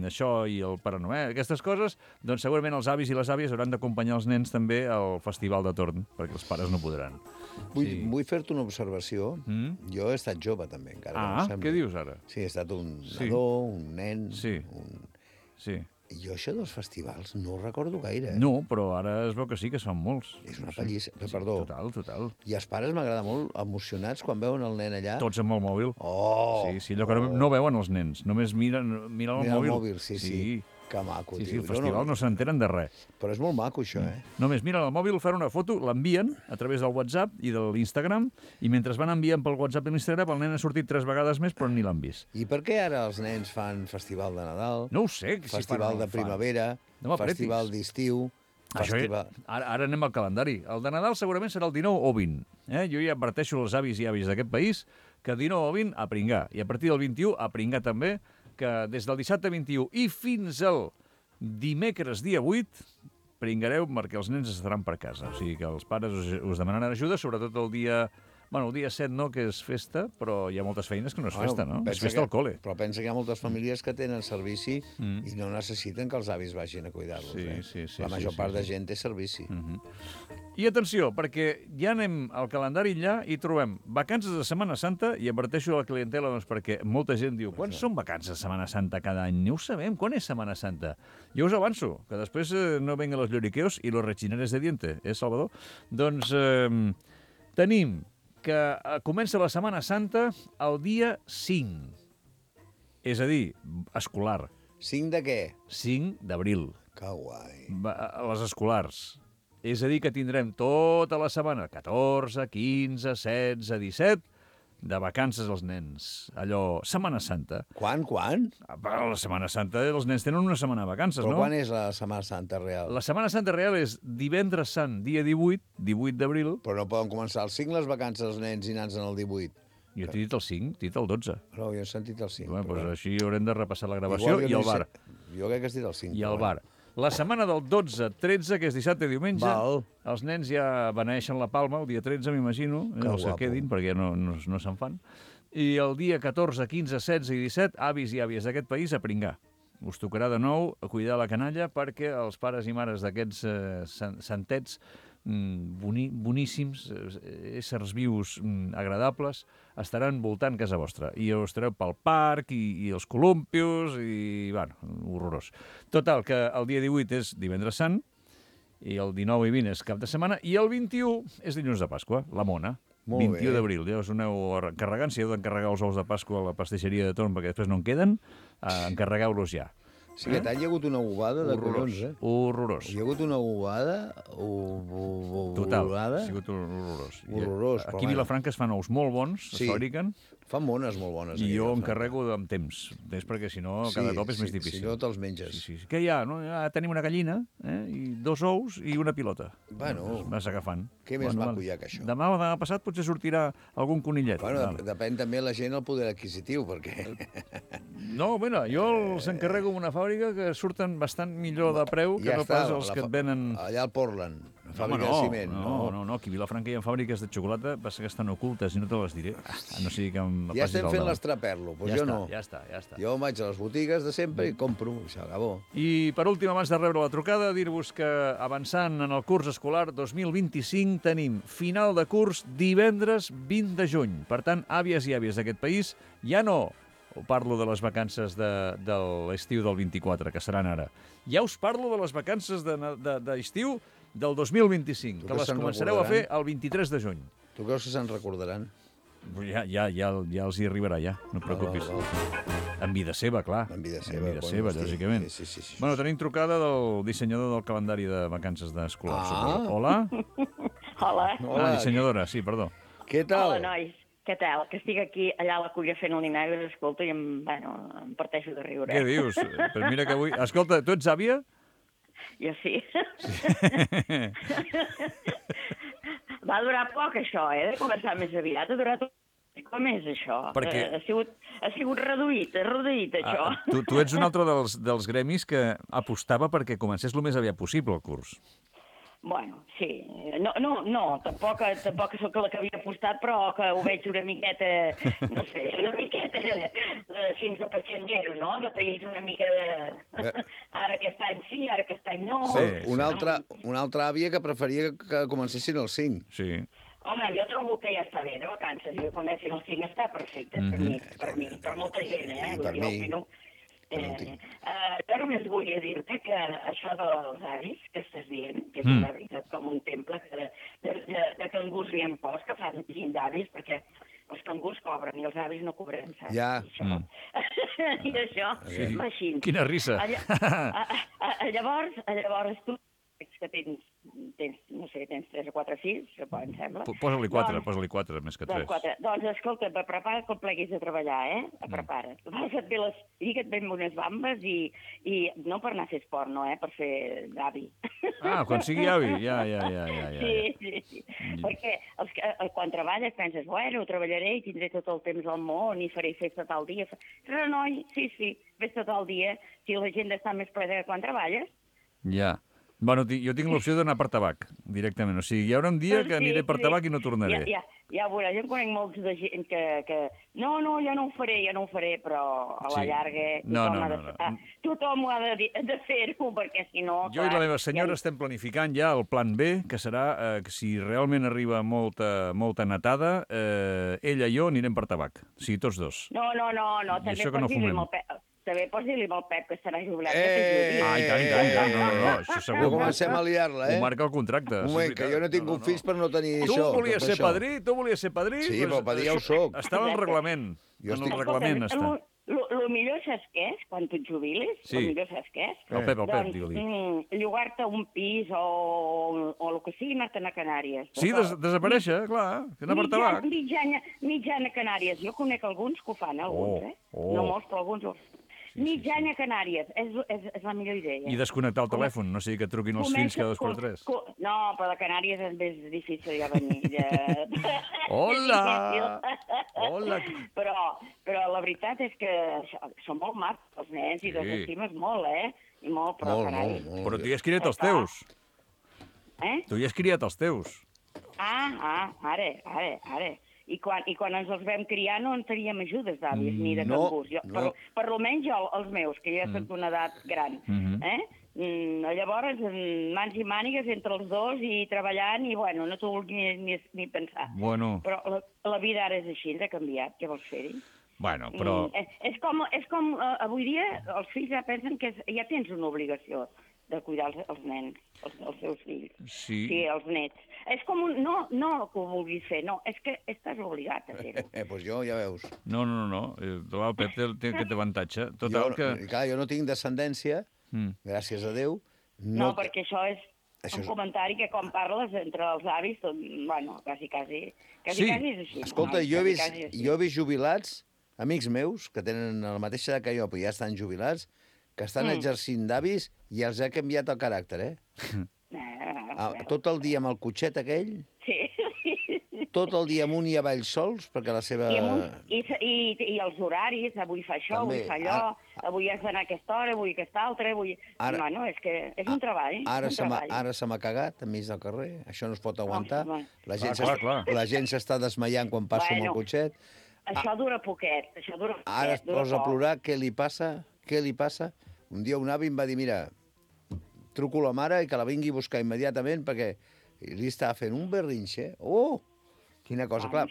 això i el Pare Noel, aquestes coses, doncs segurament els avis i les àvies hauran d'acompanyar els nens també al festival de torn, perquè els pares no podran. Vull fer-te una observació. Jo he estat jove, també, encara. Què dius ara? Sí, he estat un nadó, un nen... Sí. I jo això dels festivals no ho recordo gaire. No, però ara es veu que sí, que es fan molts. És una pallissa. Perdó. Total. I els pares m'agrada molt, emocionats, quan veuen el nen allà. Tots amb el mòbil. Oh! Sí, allò que no veuen els nens, només miren el mòbil. Mira el mòbil, sí. Que maco, tio. Sí, tio. al festival no s'enteren de res. Però és molt maco, això, Només miren el mòbil, fan una foto, l'envien a través del WhatsApp i de l'Instagram, i mentre van enviant pel WhatsApp i l'Instagram, el nen ha sortit 3 vegades més, però ni l'han vist. I per què ara els nens fan festival de Nadal? No ho sé. Festival de primavera, festival d'estiu... Ara anem al calendari. El de Nadal segurament serà el 19 o 20. Jo ja adverteixo als avis i àvies d'aquest país que 19 o 20 a pringar. I a partir del 21 a pringar també, que des del dissabte 21 i fins al dimecres dia 8 pringareu perquè els nens estaran per casa. O sigui que els pares us demanaran ajuda, sobretot el dia... Bueno, el dia 7 no, que és festa, però hi ha moltes feines que no és festa, no? És festa al col·le. Però pensa que hi ha moltes famílies que tenen servici i no necessiten que els avis vagin a cuidar-los. Sí. La major part de gent té servici. I atenció, perquè ja anem al calendari allà i trobem vacances de Setmana Santa, i adverteixo a la clientela doncs, perquè molta gent diu quan són vacances de Setmana Santa cada any? No ho sabem, quan és Setmana Santa? Jo us avanço, que després no vengan los lloriqueos i los rechineres de diente, Salvador? Doncs tenim que comença la Setmana Santa el dia 5. És a dir, escolar. 5 de què? 5 d'abril. Que guai. Les escolars. És a dir, que tindrem tota la setmana, 14, 15, 16, 17, de vacances als nens. Allò, Setmana Santa. Quan? La Setmana Santa, els nens tenen una setmana de vacances, no? Però quan és la Setmana Santa real? La Setmana Santa real és divendres sant, dia 18 d'abril. Però no poden començar el 5 les vacances dels nens i nans en el 18. Jo t'he dit el 5, t'he dit el 12. No, jo he sentit el 5. Bueno, doncs així haurem de repassar la gravació i el bar. Jo crec que has dit el 5. I el bar. La setmana del 12-13, que és dissabte i diumenge, els nens ja beneeixen la palma, el dia 13, m'imagino, els que quedin, perquè no se'n fan. I el dia 14, 15, 16 i 17, avis i àvies d'aquest país a pringar. Us tocarà de nou cuidar la canalla perquè els pares i mares d'aquests santets boníssims, éssers vius agradables, estaran voltant casa vostra. I us estareu pel parc i els columpios i, bueno, horrorós. Total, que el dia 18 és divendres sant, i el 19 i 20 és cap de setmana, i el 21 és dilluns de Pasqua, la mona. 21 d'abril. Ja us aneu encarregant, si heu d'encarregar els ous de Pasqua a la pastisseria de Torn, perquè després no en queden, encarregueu-los ja. Sí, aquest any hi ha hagut una bobada de collons, Horrorós. Hi ha hagut una bobada... Total, ha sigut horrorós. Horrorós. Aquí a Vilafranca es fan ous molt bons, es fabriquen. Fan mones molt bones. I jo encarrego amb temps, perquè si no cada cop és més difícil. Si no te'ls menges. Què hi ha? Ja tenim una gallina, i 2 ous i una pilota. Bueno. Vas agafant. Què més maco hi ha que això? Demà passat potser sortirà algun conillet. Bueno, depèn també la gent el poder adquisitiu, perquè... No, bueno, jo els encarrego una fàbrica que surten bastant millor de preu que no pas els que et venen... Allà al Portland. Fàbrica de ciment. No, aquí a Vilafranca hi ha fàbriques de xocolata, passa que estan ocultes i no te les diré. No sigui que em Ja passis estem al fent davant. l'estraperlo, doncs Ja jo està, no. ja està. Jo vaig a les botigues de sempre i compro, això, acabó. I, per últim, abans de rebre la trucada, dir-vos que avançant en el curs escolar 2025 tenim final de curs divendres 20 de juny. Per tant, àvies i àvies d'aquest país, ja no parlo de les vacances de l'estiu del 24, que seran ara. Ja us parlo de les vacances d'estiu del 2025, que les començareu a fer el 23 de juny. Tu creus que se'n recordaran? Ja els hi arribarà, ja, no et preocupis. En vida seva, clar. En vida seva, lògicament. Sí. Bueno, tenim trucada del dissenyador del calendari de vacances d'escolar. Hola? Hola. Dissenyadora, sí, perdó. Què tal? Hola, nois. Què tal? Que estic aquí, allà a la culla fent el nineu i escolta i em parteixo de riure. Què dius? Però mira que avui... Escolta, tu ets àvia? Jo sí. Va durar poc, això, de començar més aviat. Ha durat com és, això? Perquè... Ha sigut reduït, això. Tu ets un altre dels gremis que apostava perquè comencés el més aviat possible el curs. Bueno, sí. No, tampoc sóc la que havia apostat, però que ho veig una miqueta, no sé, fins a patxanguero, no? De país una mica de... Ara aquest any sí, ara aquest any no. Sí. Una altra àvia que preferia que comencessin el 5. Sí. Home, jo trobo que ja està bé de vacances, i que comencin el 5 està perfecte, per mi, per molta gent, Per mi. Jo només volia dir-te que això dels avis que estàs dient, que és una veritat com un temple de cangurs li han post, que fan gent d'avis, perquè els cangurs cobren i els avis no cobrem, saps? Ja. I això va així. Quina risa. Llavors tu que tens, no sé, tens 3 o 4 fills, em sembla. Posa-li 4, més que 3. Doncs escolta, prepara't quan pleguis a treballar, Prepara't. Lliga't ben unes bambes i no per anar a fer esport, no, per fer d'avi. Quan sigui avi, ja. Sí. Perquè quan treballes penses, bueno, treballaré i tindré tot el temps al món i faré festa tal dia. Però no, sí, festa tal dia, si la gent està més presa que quan treballes. Ja. Bueno, jo tinc l'opció d'anar per tabac, directament. O sigui, hi haurà un dia que aniré per tabac i no tornaré. Ja veuràs, jo conec molts de gent que no, ja no ho faré, però a la llarga tothom ho ha de fer-ho, perquè si no... Jo i la meva senyora estem planificant ja el plan B, que serà que si realment arriba molta netada, ella i jo anirem per tabac. O sigui, tots dos. No, també posi-li amb el Pep, que estarà jubilat. I tant, no, això segur. No comencem a liar-la, Ho marca el contracte. Un moment, que jo no he tingut fills per no tenir això. Tu volies ser padrí? Sí, però padrí ja ho soc. Estava al reglament. En el reglament està. El millor saps què és, quan tu et jubilis? El millor saps què és? El Pep, digue-li. Llogar-te un pis o el que sigui, anar-te'n a Canàries. Sí, desaparèixer, clar, anar per tabac. Mitjana a Canàries. Jo conec alguns que ho fan, alguns, No molts, però alguns ho fan. Mitjana a Canàries, és la millor idea. I desconnectar el telèfon, no sigui que et truquin els fills cada 2 per 3. No, però de Canàries és més difícil ja venir. Hola! Però la veritat és que són molt macs els nens i les estimes molt, I molt, però carai. Però tu ja has criat els teus. Tu ja has criat els teus. Ara. I quan ens els vam criar no en teníem ajudes d'avis ni de cangurs. Per almenys jo, els meus, que ja soc d'una edat gran. Llavors, mans i mànigues entre els dos i treballant i, bueno, no t'ho vulguis ni pensar. Però la vida ara és així, ha canviat. Què vols fer-hi? Bueno, però... És com avui dia els fills ja pensen que ja tens una obligació de cuidar els nens, els seus fills. Sí, els nets. És com no que ho vulguis fer, no, és que estàs obligat a fer-ho. Doncs jo, ja veus. No. El Pep té aquest avantatge. Clar, jo no tinc descendència, gràcies a Déu. No, perquè això és un comentari que quan parles entre els avis, bueno, quasi és així. Escolta, jo he vist jubilats, amics meus, que tenen la mateixa edat que jo, però ja estan jubilats, que estan exercint d'avis i els ha canviat el caràcter, Tot el dia amb el cotxet aquell... Sí. tot el dia amunt i avall sols, perquè la seva... I els horaris, avui fa això, També. avui fa allò, avui has d'anar a aquesta hora, avui a aquesta altra, avui... Bueno, és que és un treball. Ara se m'ha cagat enmig del carrer, això no es pot aguantar. La gent s'està desmaiant quan passo amb el cotxet. Això dura poquet, això dura poquet. Ara es posa a plorar, què li passa? Què li passa? Un dia un avi em va dir, mira, truco a la mare i que la vingui a buscar immediatament perquè li estava fent un berrinxe. Oh! Quina cosa, clar.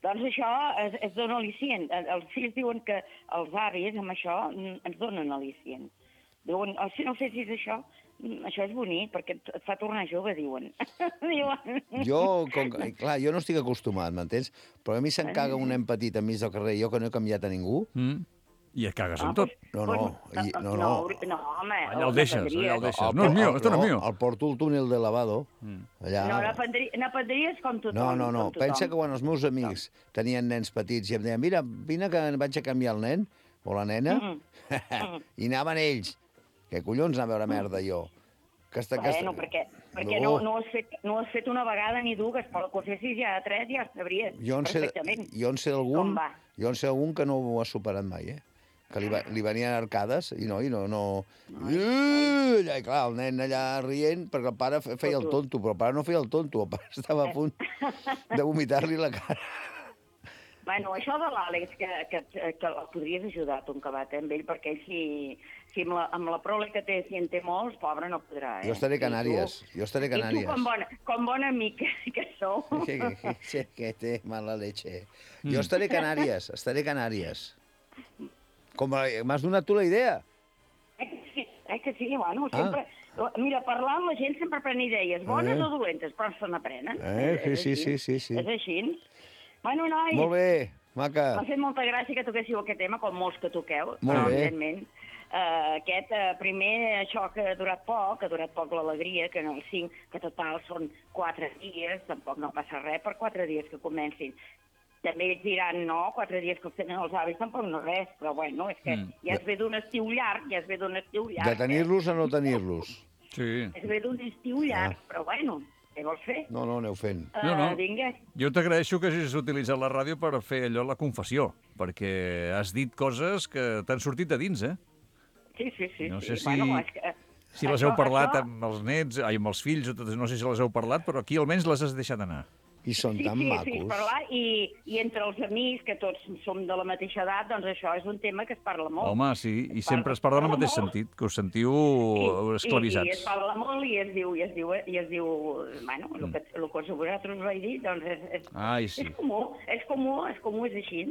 Doncs això es dona al·licient. Els fills diuen que els avis amb això ens donen al·licient. Diuen, si no fessis això és bonic, perquè et fa tornar jove, diuen. Jo no estic acostumat, m'entens? Però a mi se'n caga un nen petit enmig del carrer, jo que no he canviat a ningú. I et cagues amb tot. No, home. Allà el deixes. No és mío, esto no es mío. El porto al túnel de lavado. No, n'aprendries com tothom. No. Pensa que quan els meus amics tenien nens petits i em deien, mira, vine que vaig a canviar el nen o la nena, i anaven ells. Què collons anar a veure merda, jo? Bueno, perquè no ho has fet una vegada ni dues, però que ho fessis ja a 3 ja sabries perfectament. Jo en sé algun que no ho ha superat mai, que li venien arcades i no. I clar, el nen allà rient, perquè el pare feia el tonto, però el pare no feia el tonto, el pare estava a punt de vomitar-li la cara. Bueno, això de l'Àlex, que el podries ajudar, tu, amb ell, perquè ell, si amb la prole que té, si en té molts, pobre, no podrà. Jo estaré a Canàries. I tu, com bon amic que sou... Que té mala leche. Jo estaré a Canàries. M'has donat tu la idea? Que sí, bueno, sempre... Mira, parlant, la gent sempre pren idees, bones o dolentes, però se n'aprenen. Sí. És així. Bueno, nois... Molt bé, maca. M'ha fet molta gràcia que toquéssiu aquest tema, com molts que toqueu. Molt bé. Evidentment. Primer, això que ha durat poc l'alegria, que en el 5, que total són 4 dies, tampoc no passa res per 4 dies que comencin. També ells diran, no, 4 dies que els tenen els avis tampoc no res, però bueno, és que ja es ve d'un estiu llarg, De tenir-los a no tenir-los. Sí. Es ve d'un estiu llarg, però bueno... Què vols fer? No, aneu fent. No. Vinga. Jo t'agraeixo que hagis utilitzat la ràdio per fer allò, la confessió, perquè has dit coses que t'han sortit de dins, Sí. No sé si les heu parlat amb els nets, amb els fills, no sé si les heu parlat, però aquí almenys les has deixat anar. I són tan macos. Sí, parlar, i entre els amics, que tots som de la mateixa edat, doncs això és un tema que es parla molt. Home, sí, i sempre es parla en el mateix sentit, que us sentiu esclavisats. I es parla molt i es diu, bueno, el que vosaltres vau dir, doncs és comú, és així.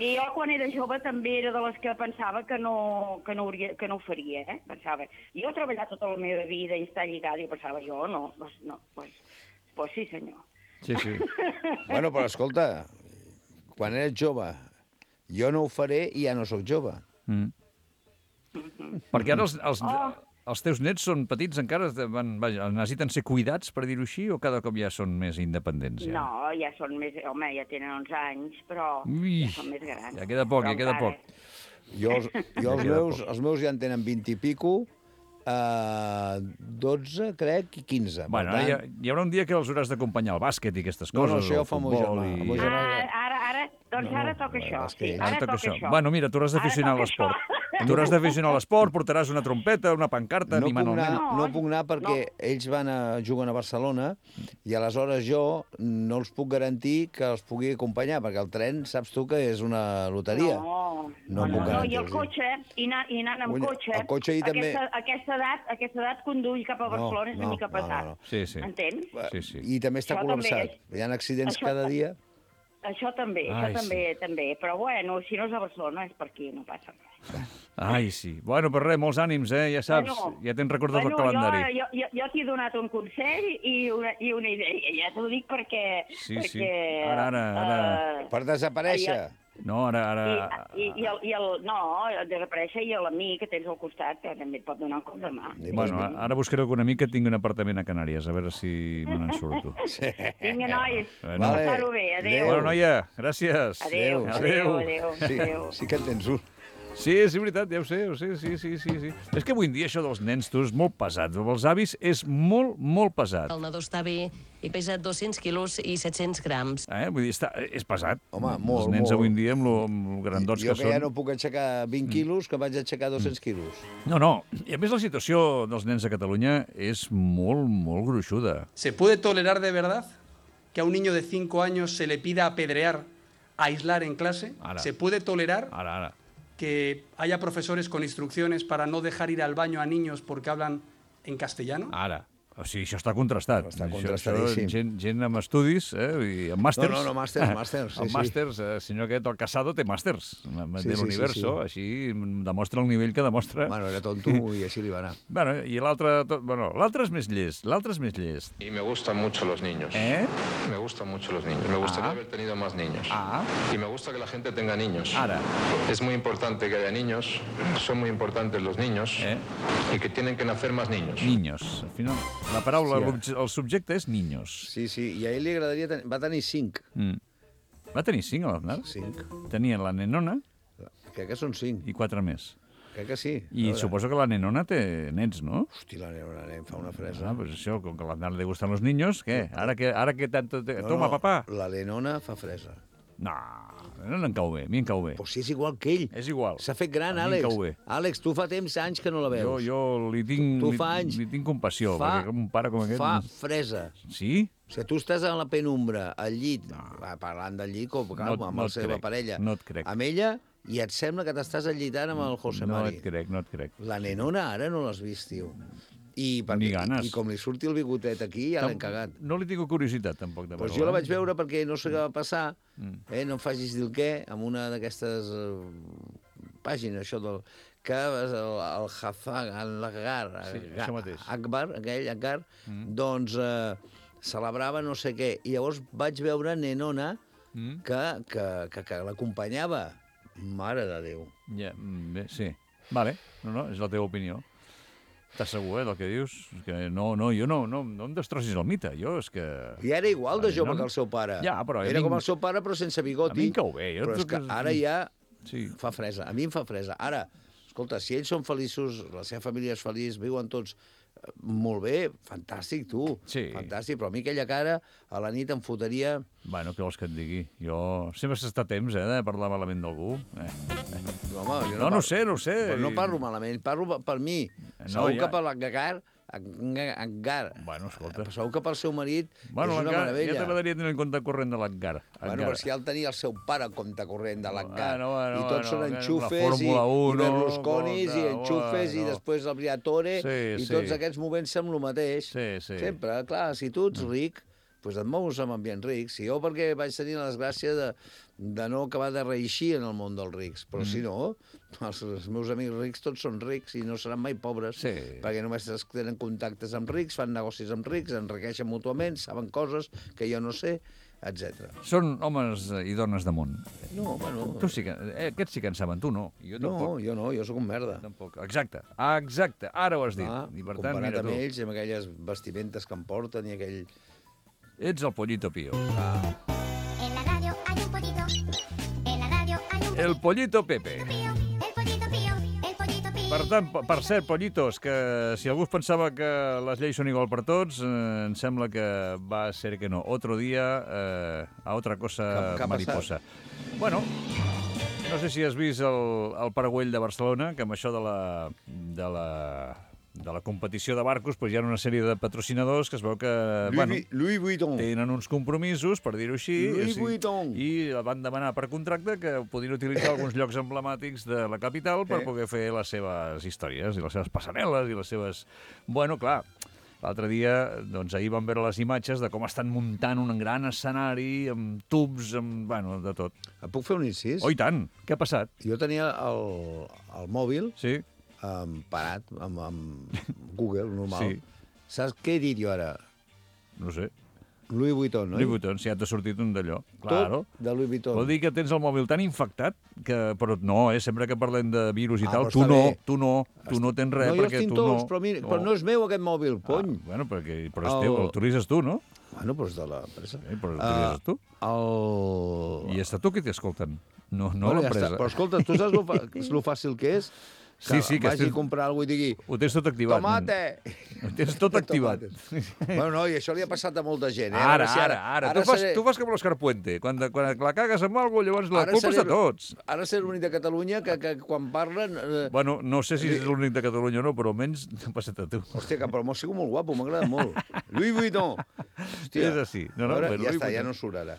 I jo, quan era jove, també era de les que pensava que no ho faria, pensava. Jo he treballat tota la meva vida i està lligada, i pensava, jo no, pues sí, senyor. Sí. Bueno, però escolta, quan eres jove, jo no ho faré i ja no sóc jove. Perquè ara els teus nets són petits encara, necessiten ser cuidats, per dir-ho així, o cada cop ja són més independents? Ja? No, ja són més... Home, ja tenen 11 anys, però ja són més grans. Ja queda poc. Jo els meus ja en tenen 20 i pico, 12, crec, i 15. Bueno, hi haurà un dia que els hauràs d'acompanyar al bàsquet i aquestes coses. No, això ho fa el meu germà. Ara toca això. Ara toca això. Bueno, mira, tu hauràs d'aficionar a l'esport. Tu hauràs d'aficionar a l'esport, portaràs una trompeta, una pancarta, animant el nen. No puc anar perquè ells juguen a Barcelona i aleshores jo no els puc garantir que els pugui acompanyar, perquè el tren, saps tu que és una loteria. No puc garantir. I el cotxe, i anant amb cotxe, el cotxe i també... aquesta edat conduir cap a Barcelona és una mica pesat. Sí. Entens? Sí. I també està col·lapsat. Hi ha accidents cada dia. Això també, però bueno, si no és a Barcelona és per aquí, no passa res. Ai, sí. Bueno, per res, molts ànims, ja saps, ja tens recordat el calendari. Jo t'he donat un consell i una idea, ja t'ho dic perquè... Sí, ara... Per desaparèixer. No, ara... Desaparèixer i l'amic que tens al costat, que també et pot donar un cop de mà. Bueno, ara buscaré algun amic que tingui un apartament a Canàries, a veure si me n'en surto. Vinga, nois, passar-ho bé, adéu. Bueno, noia, gràcies. Adéu. Sí que en tens un. Sí, és veritat, ja ho sé, sí. És que avui en dia això dels nens, tu, és molt pesat. Els avis és molt, molt pesat. El nadó està bé i pesa 200 quilos i 700 grams. Vull dir, és pesat. Home, molt, Els nens molt. avui en dia, amb lo grandots que Jo són... ja no puc aixecar 20 quilos, que vaig aixecar 200 quilos. No. I a més la situació dels nens a Catalunya és molt, molt gruixuda. ¿Se puede tolerar de verdad que a un niño de 5 años se le pida apedrear, aislar en clase? Ara. ¿Se puede tolerar Ara. que haya profesores con instrucciones para no dejar ir al baño a niños porque hablan en castellano? Ara. O sigui, això està contrastat. Està contrastadíssim. Gent amb estudis, i amb màsters. No, màsters, sí, El màsters, senyor aquest, el Casado, té màsters de l'Universo. Així demostra el nivell que demostra. Bueno, era tonto i així li va anar. Bueno, i l'altre és més llest. Y me gustan mucho los niños. Me gustan mucho los niños. Me gustaría haber tenido más niños. Y me gusta que la gente tenga niños. Ara. Es muy importante que haya niños. Son muy importantes los niños. Y que tienen que nacer más niños. Niños. Al final, la paraula, el subjecte és niños. Sí, i a ell li agradaria... Va tenir 5. Va tenir 5, a l'Aznar? 5. Tenien la nenona... Crec que són 5. I 4 més. Crec que sí. I suposo que la nenona té nens, no? Hosti, la nenona fa una fresa. Pues això, com que a l'Aznar li gustan los niños, què? Ara que tanto... Toma, papá. La nenona fa fresa. No em cau bé, a mi em cau bé. Però si és igual que ell. És igual. S'ha fet gran, Àlex. Àlex, tu fa anys que no la veus. Jo li tinc compassió, perquè un pare com aquest... Fa fresa. Sí? O sigui, tu estàs a la penumbra, al llit, parlant del llit, amb la seva parella, no et crec. Amb ella, i et sembla que t'estàs allitant amb el José Mari. No et crec. La nenona ara no l'has vist, tio. I com li surti el bigotet aquí, ja l'hem cagat. No li tinc curiositat, tampoc, de veure. Doncs jo la vaig veure perquè no sé què va passar, no em facis dir el què, amb una d'aquestes pàgines, això del... que el Hafag, Akbar, aquell Akbar, doncs celebrava no sé què. I llavors vaig veure nenona que l'acompanyava. Mare de Déu. Ja, bé, sí. Vale, no, és la teva opinió. Estàs segur, del que dius? Que no, jo no em destrossis el mite. Jo és que... I era igual de jove que el seu pare. Ja, però... Era com el seu pare, però sense bigoti. A mi em cau bé. Però és que ara ja fa fresa. A mi em fa fresa. Ara, escolta, si ells són feliços, la seva família és feliç, viuen tots molt bé, fantàstic, tu. Sí. Fantàstic, però a mi aquella cara a la nit em fotria... Bueno, què vols que et digui? Jo sempre s'està temps, de parlar malament d'algú. Home, jo no sé. Però no parlo malament, parlo per mi. Segur que per l'Aggar... Bueno, escolta. Segur que pel seu marit és una Ja meravella. t'agradaria tenir en compte corrent de l'Aggar. Bueno, però si ja el tenia el seu pare en compte corrent de l'Aggar. I tots són enxufes i Berlusconis i enxufes i després el Briatore i tots aquests movent-se amb el mateix. Sempre, clar, si tu ets ric, doncs et mous amb ambients rics. Si jo perquè vaig tenir la desgràcia de no acabar de reeixir en el món dels rics, però si no, els meus amics rics tots són rics i no seran mai pobres, perquè només tenen contactes amb rics, fan negocis amb rics, enriqueixen mútuament, saben coses que jo no sé, etc. Són homes i dones de món. No, bueno... Aquests sí que en saben, tu no. Jo no, jo sóc un merda. Tampoc. Exacte, ara ho has dit. I per tant, comparat amb ells, amb aquelles vestimentes que em porten i aquell... Ets el Pollito Pío. En la radio hay un pollito. En la radio hay un pollito. El Pollito Pepe. El pollito Pío. El pollito Pío. Per tant, per cert, pollitos, que si algú es pensava que les lleis són igual per tots, em sembla que va ser que no. Otro día, a otra cosa mariposa. Bueno, no sé si has vist el Paragüell de Barcelona, que amb això de la competició de barcos hi ha una sèrie de patrocinadors que es veu que Louis Vuitton. Tenen uns compromisos, per dir-ho així, Louis Vuitton. I van demanar per contracte que podien utilitzar alguns llocs emblemàtics de la capital per poder fer les seves històries i les seves passarel·les i les seves... Bueno, clar, l'altre dia, doncs ahir vam veure les imatges de com estan muntant un gran escenari amb tubs, bueno, de tot. Et puc fer un incís? Oh, i tant! Què ha passat? Jo tenia el mòbil... Sí. Parat amb Google, normal. Sí. Saps què he dit jo ara? No sé. Louis Vuitton, no? Louis Vuitton, si ja t'ha sortit un d'allò. Tot de Louis Vuitton. Vol dir que tens el mòbil tan infectat que... Però no, sempre que parlem de virus i tal, tu no tens res, perquè tu no... Però no és meu aquest mòbil, cony. Bueno, però és teu, el utilitzes tu, no? Bueno, però és de l'empresa. Però l'utilitzes tu. I és tu qui t'escolten, no l'empresa. Però escolta, tu saps lo fàcil que és? Sí, que vagi a comprar alguna cosa i digui... Ho tens tot activat. Tomate! Ho tens tot activat. Bueno, no, i això li ha passat a molta gent. Ara. Tu fas com l'Escarpuente. Quan la cagues amb alguna cosa, llavors la culpa és de tots. Ara ser l'únic de Catalunya que quan parlen... Bueno, no sé si és l'únic de Catalunya o no, però almenys t'ha passat a tu. Hòstia, però m'ho sigut molt guapo, m'agrada molt. Louis Vuitton! Hòstia. És així. Ja està, ja no surt ara.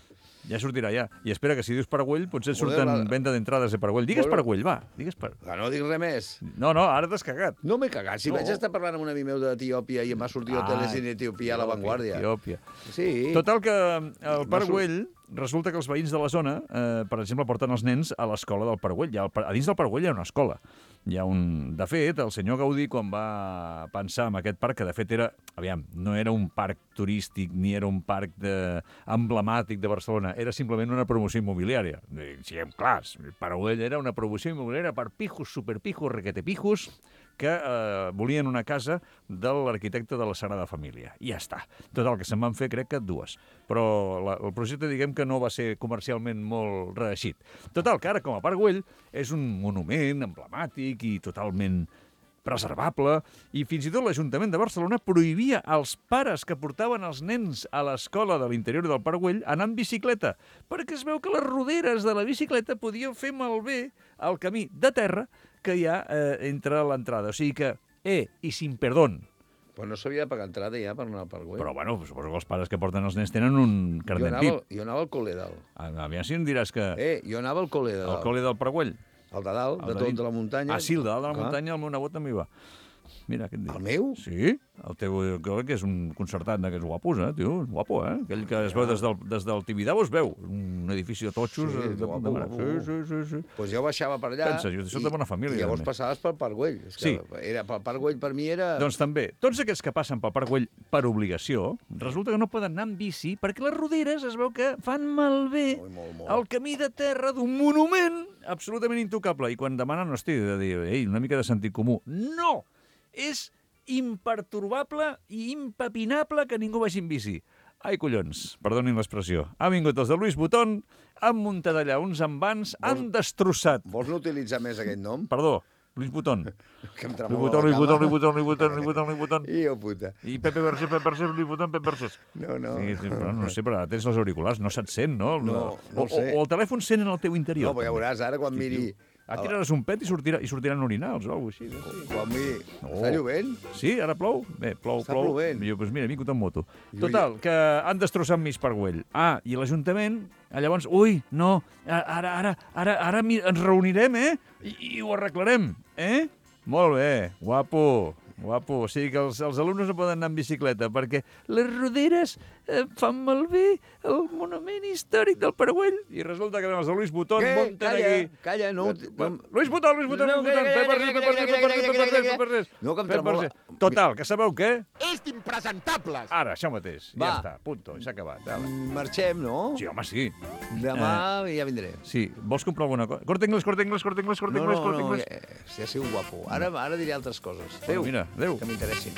Ja sortirà, ja. I espera que si dius Paragüell, potser et surten venda d'entrades de Paragüell. Digues Paragüell, va. No dic res més. No, ara t'has cagat. No m'he cagat. Si vaig estar parlant amb un amic meu d'Etiòpia i em va sortir hoteles en Etiòpia a La Vanguardia. Etiòpia. Sí. Total que el Paragüell, resulta que els veïns de la zona, per exemple, porten els nens a l'escola del Paragüell. A dins del Paragüell hi ha una escola. De fet, el senyor Gaudí, quan va pensar en aquest parc, que de fet era, no era un parc turístic ni era un parc emblemàtic de Barcelona, era simplement una promoció immobiliària. Siguem clars, Paragüell era una promoció immobiliària per pijos, superpijos, requetepijos, que volien una casa de l'arquitecte de la Sagrada Família. I ja està. Total, que se'n van fer, crec que 2. Però el projecte, diguem que no va ser comercialment molt reeixit. Total, que ara, com a Paragüell, és un monument emblemàtic i totalment preservable, i fins i tot l'Ajuntament de Barcelona prohibia als pares que portaven els nens a l'escola de l'interior del Paragüell anar en bicicleta, perquè es veu que les roderes de la bicicleta podien fer malbé el camí de terra que hi ha entre l'entrada. O sigui que, i sin perdón. Però no s'havia de pagar entrada ja per anar al Paragüell. Però, bueno, suposo que els pares que porten els nens tenen un carnet VIP. Jo anava al col·le dalt. Aviam si em diràs que... Jo anava al col·le dalt. Al col·le del Paragüell? El de dalt, de tot de la muntanya. Sí, el de dalt de la muntanya, el meu nebot també hi va. Mira, què et dic? El meu? Sí, el teu, que és un concertant d'aquests guapos, tio, guapo, Aquell que es veu des del Tibidabo, es veu, un edifici de totxos. Sí, guapo. Sí. Pues jo baixava per allà. Pensa, jo soc de bona família. I llavors passaves pel Paragüell. Sí. Pel Paragüell per mi era... Doncs també, tots aquests que passen pel Paragüell per obligació, resulta que no poden anar amb bici perquè les roderes es veu que fan malbé el camí de terra d'un monument absolutament intocable. I quan demanen, hosti, de dir, una mica de sentit comú. No! És impertorbable i impepinable que ningú vagi en bici. Ai, collons, perdonin l'expressió. Ha vingut els de Louis Vuitton, han muntat allà uns envans, han destrossat... Vols no utilitzar més aquest nom? Perdó, Louis Vuitton. Que em tremola la cama. Louis Vuitton. I puta. I Pepe Versés, Louis Vuitton, Pepe Versés. No. No sé, però ara tens els auriculars, no se't sent, no? No sé. O el telèfon sent en el teu interior. No, però ja veuràs, ara quan miri... Tiraràs un pet i sortiran orinals o alguna cosa així. Quan miri... Està llovent? Sí, ara plou? Bé, plou. Està plovent. Jo, doncs mira, he vingut en moto. Total, que han destrossat mig Paragüell. I l'Ajuntament, llavors, ara ens reunirem, I ho arreglarem, Molt bé, guapo. O sigui que els alumnes no poden anar en bicicleta perquè les roderes fan malbé el monument històric del Paragüell. I resulta que els de Louis Vuitton munten aquí... Calla, no... Louis Vuitton, Pepe. No, que em tremola. Total, que sabeu què? És d'impresentables! Ara, això mateix. Ja està, punto, s'ha acabat. Marxem, no? Sí, home, sí. Demà ja vindré. Sí, vols comprar alguna cosa? Corte Inglés. No, ja ha sigut guapo. Ara diré altres coses. Adéu. Mira, adéu. Que m'interessin.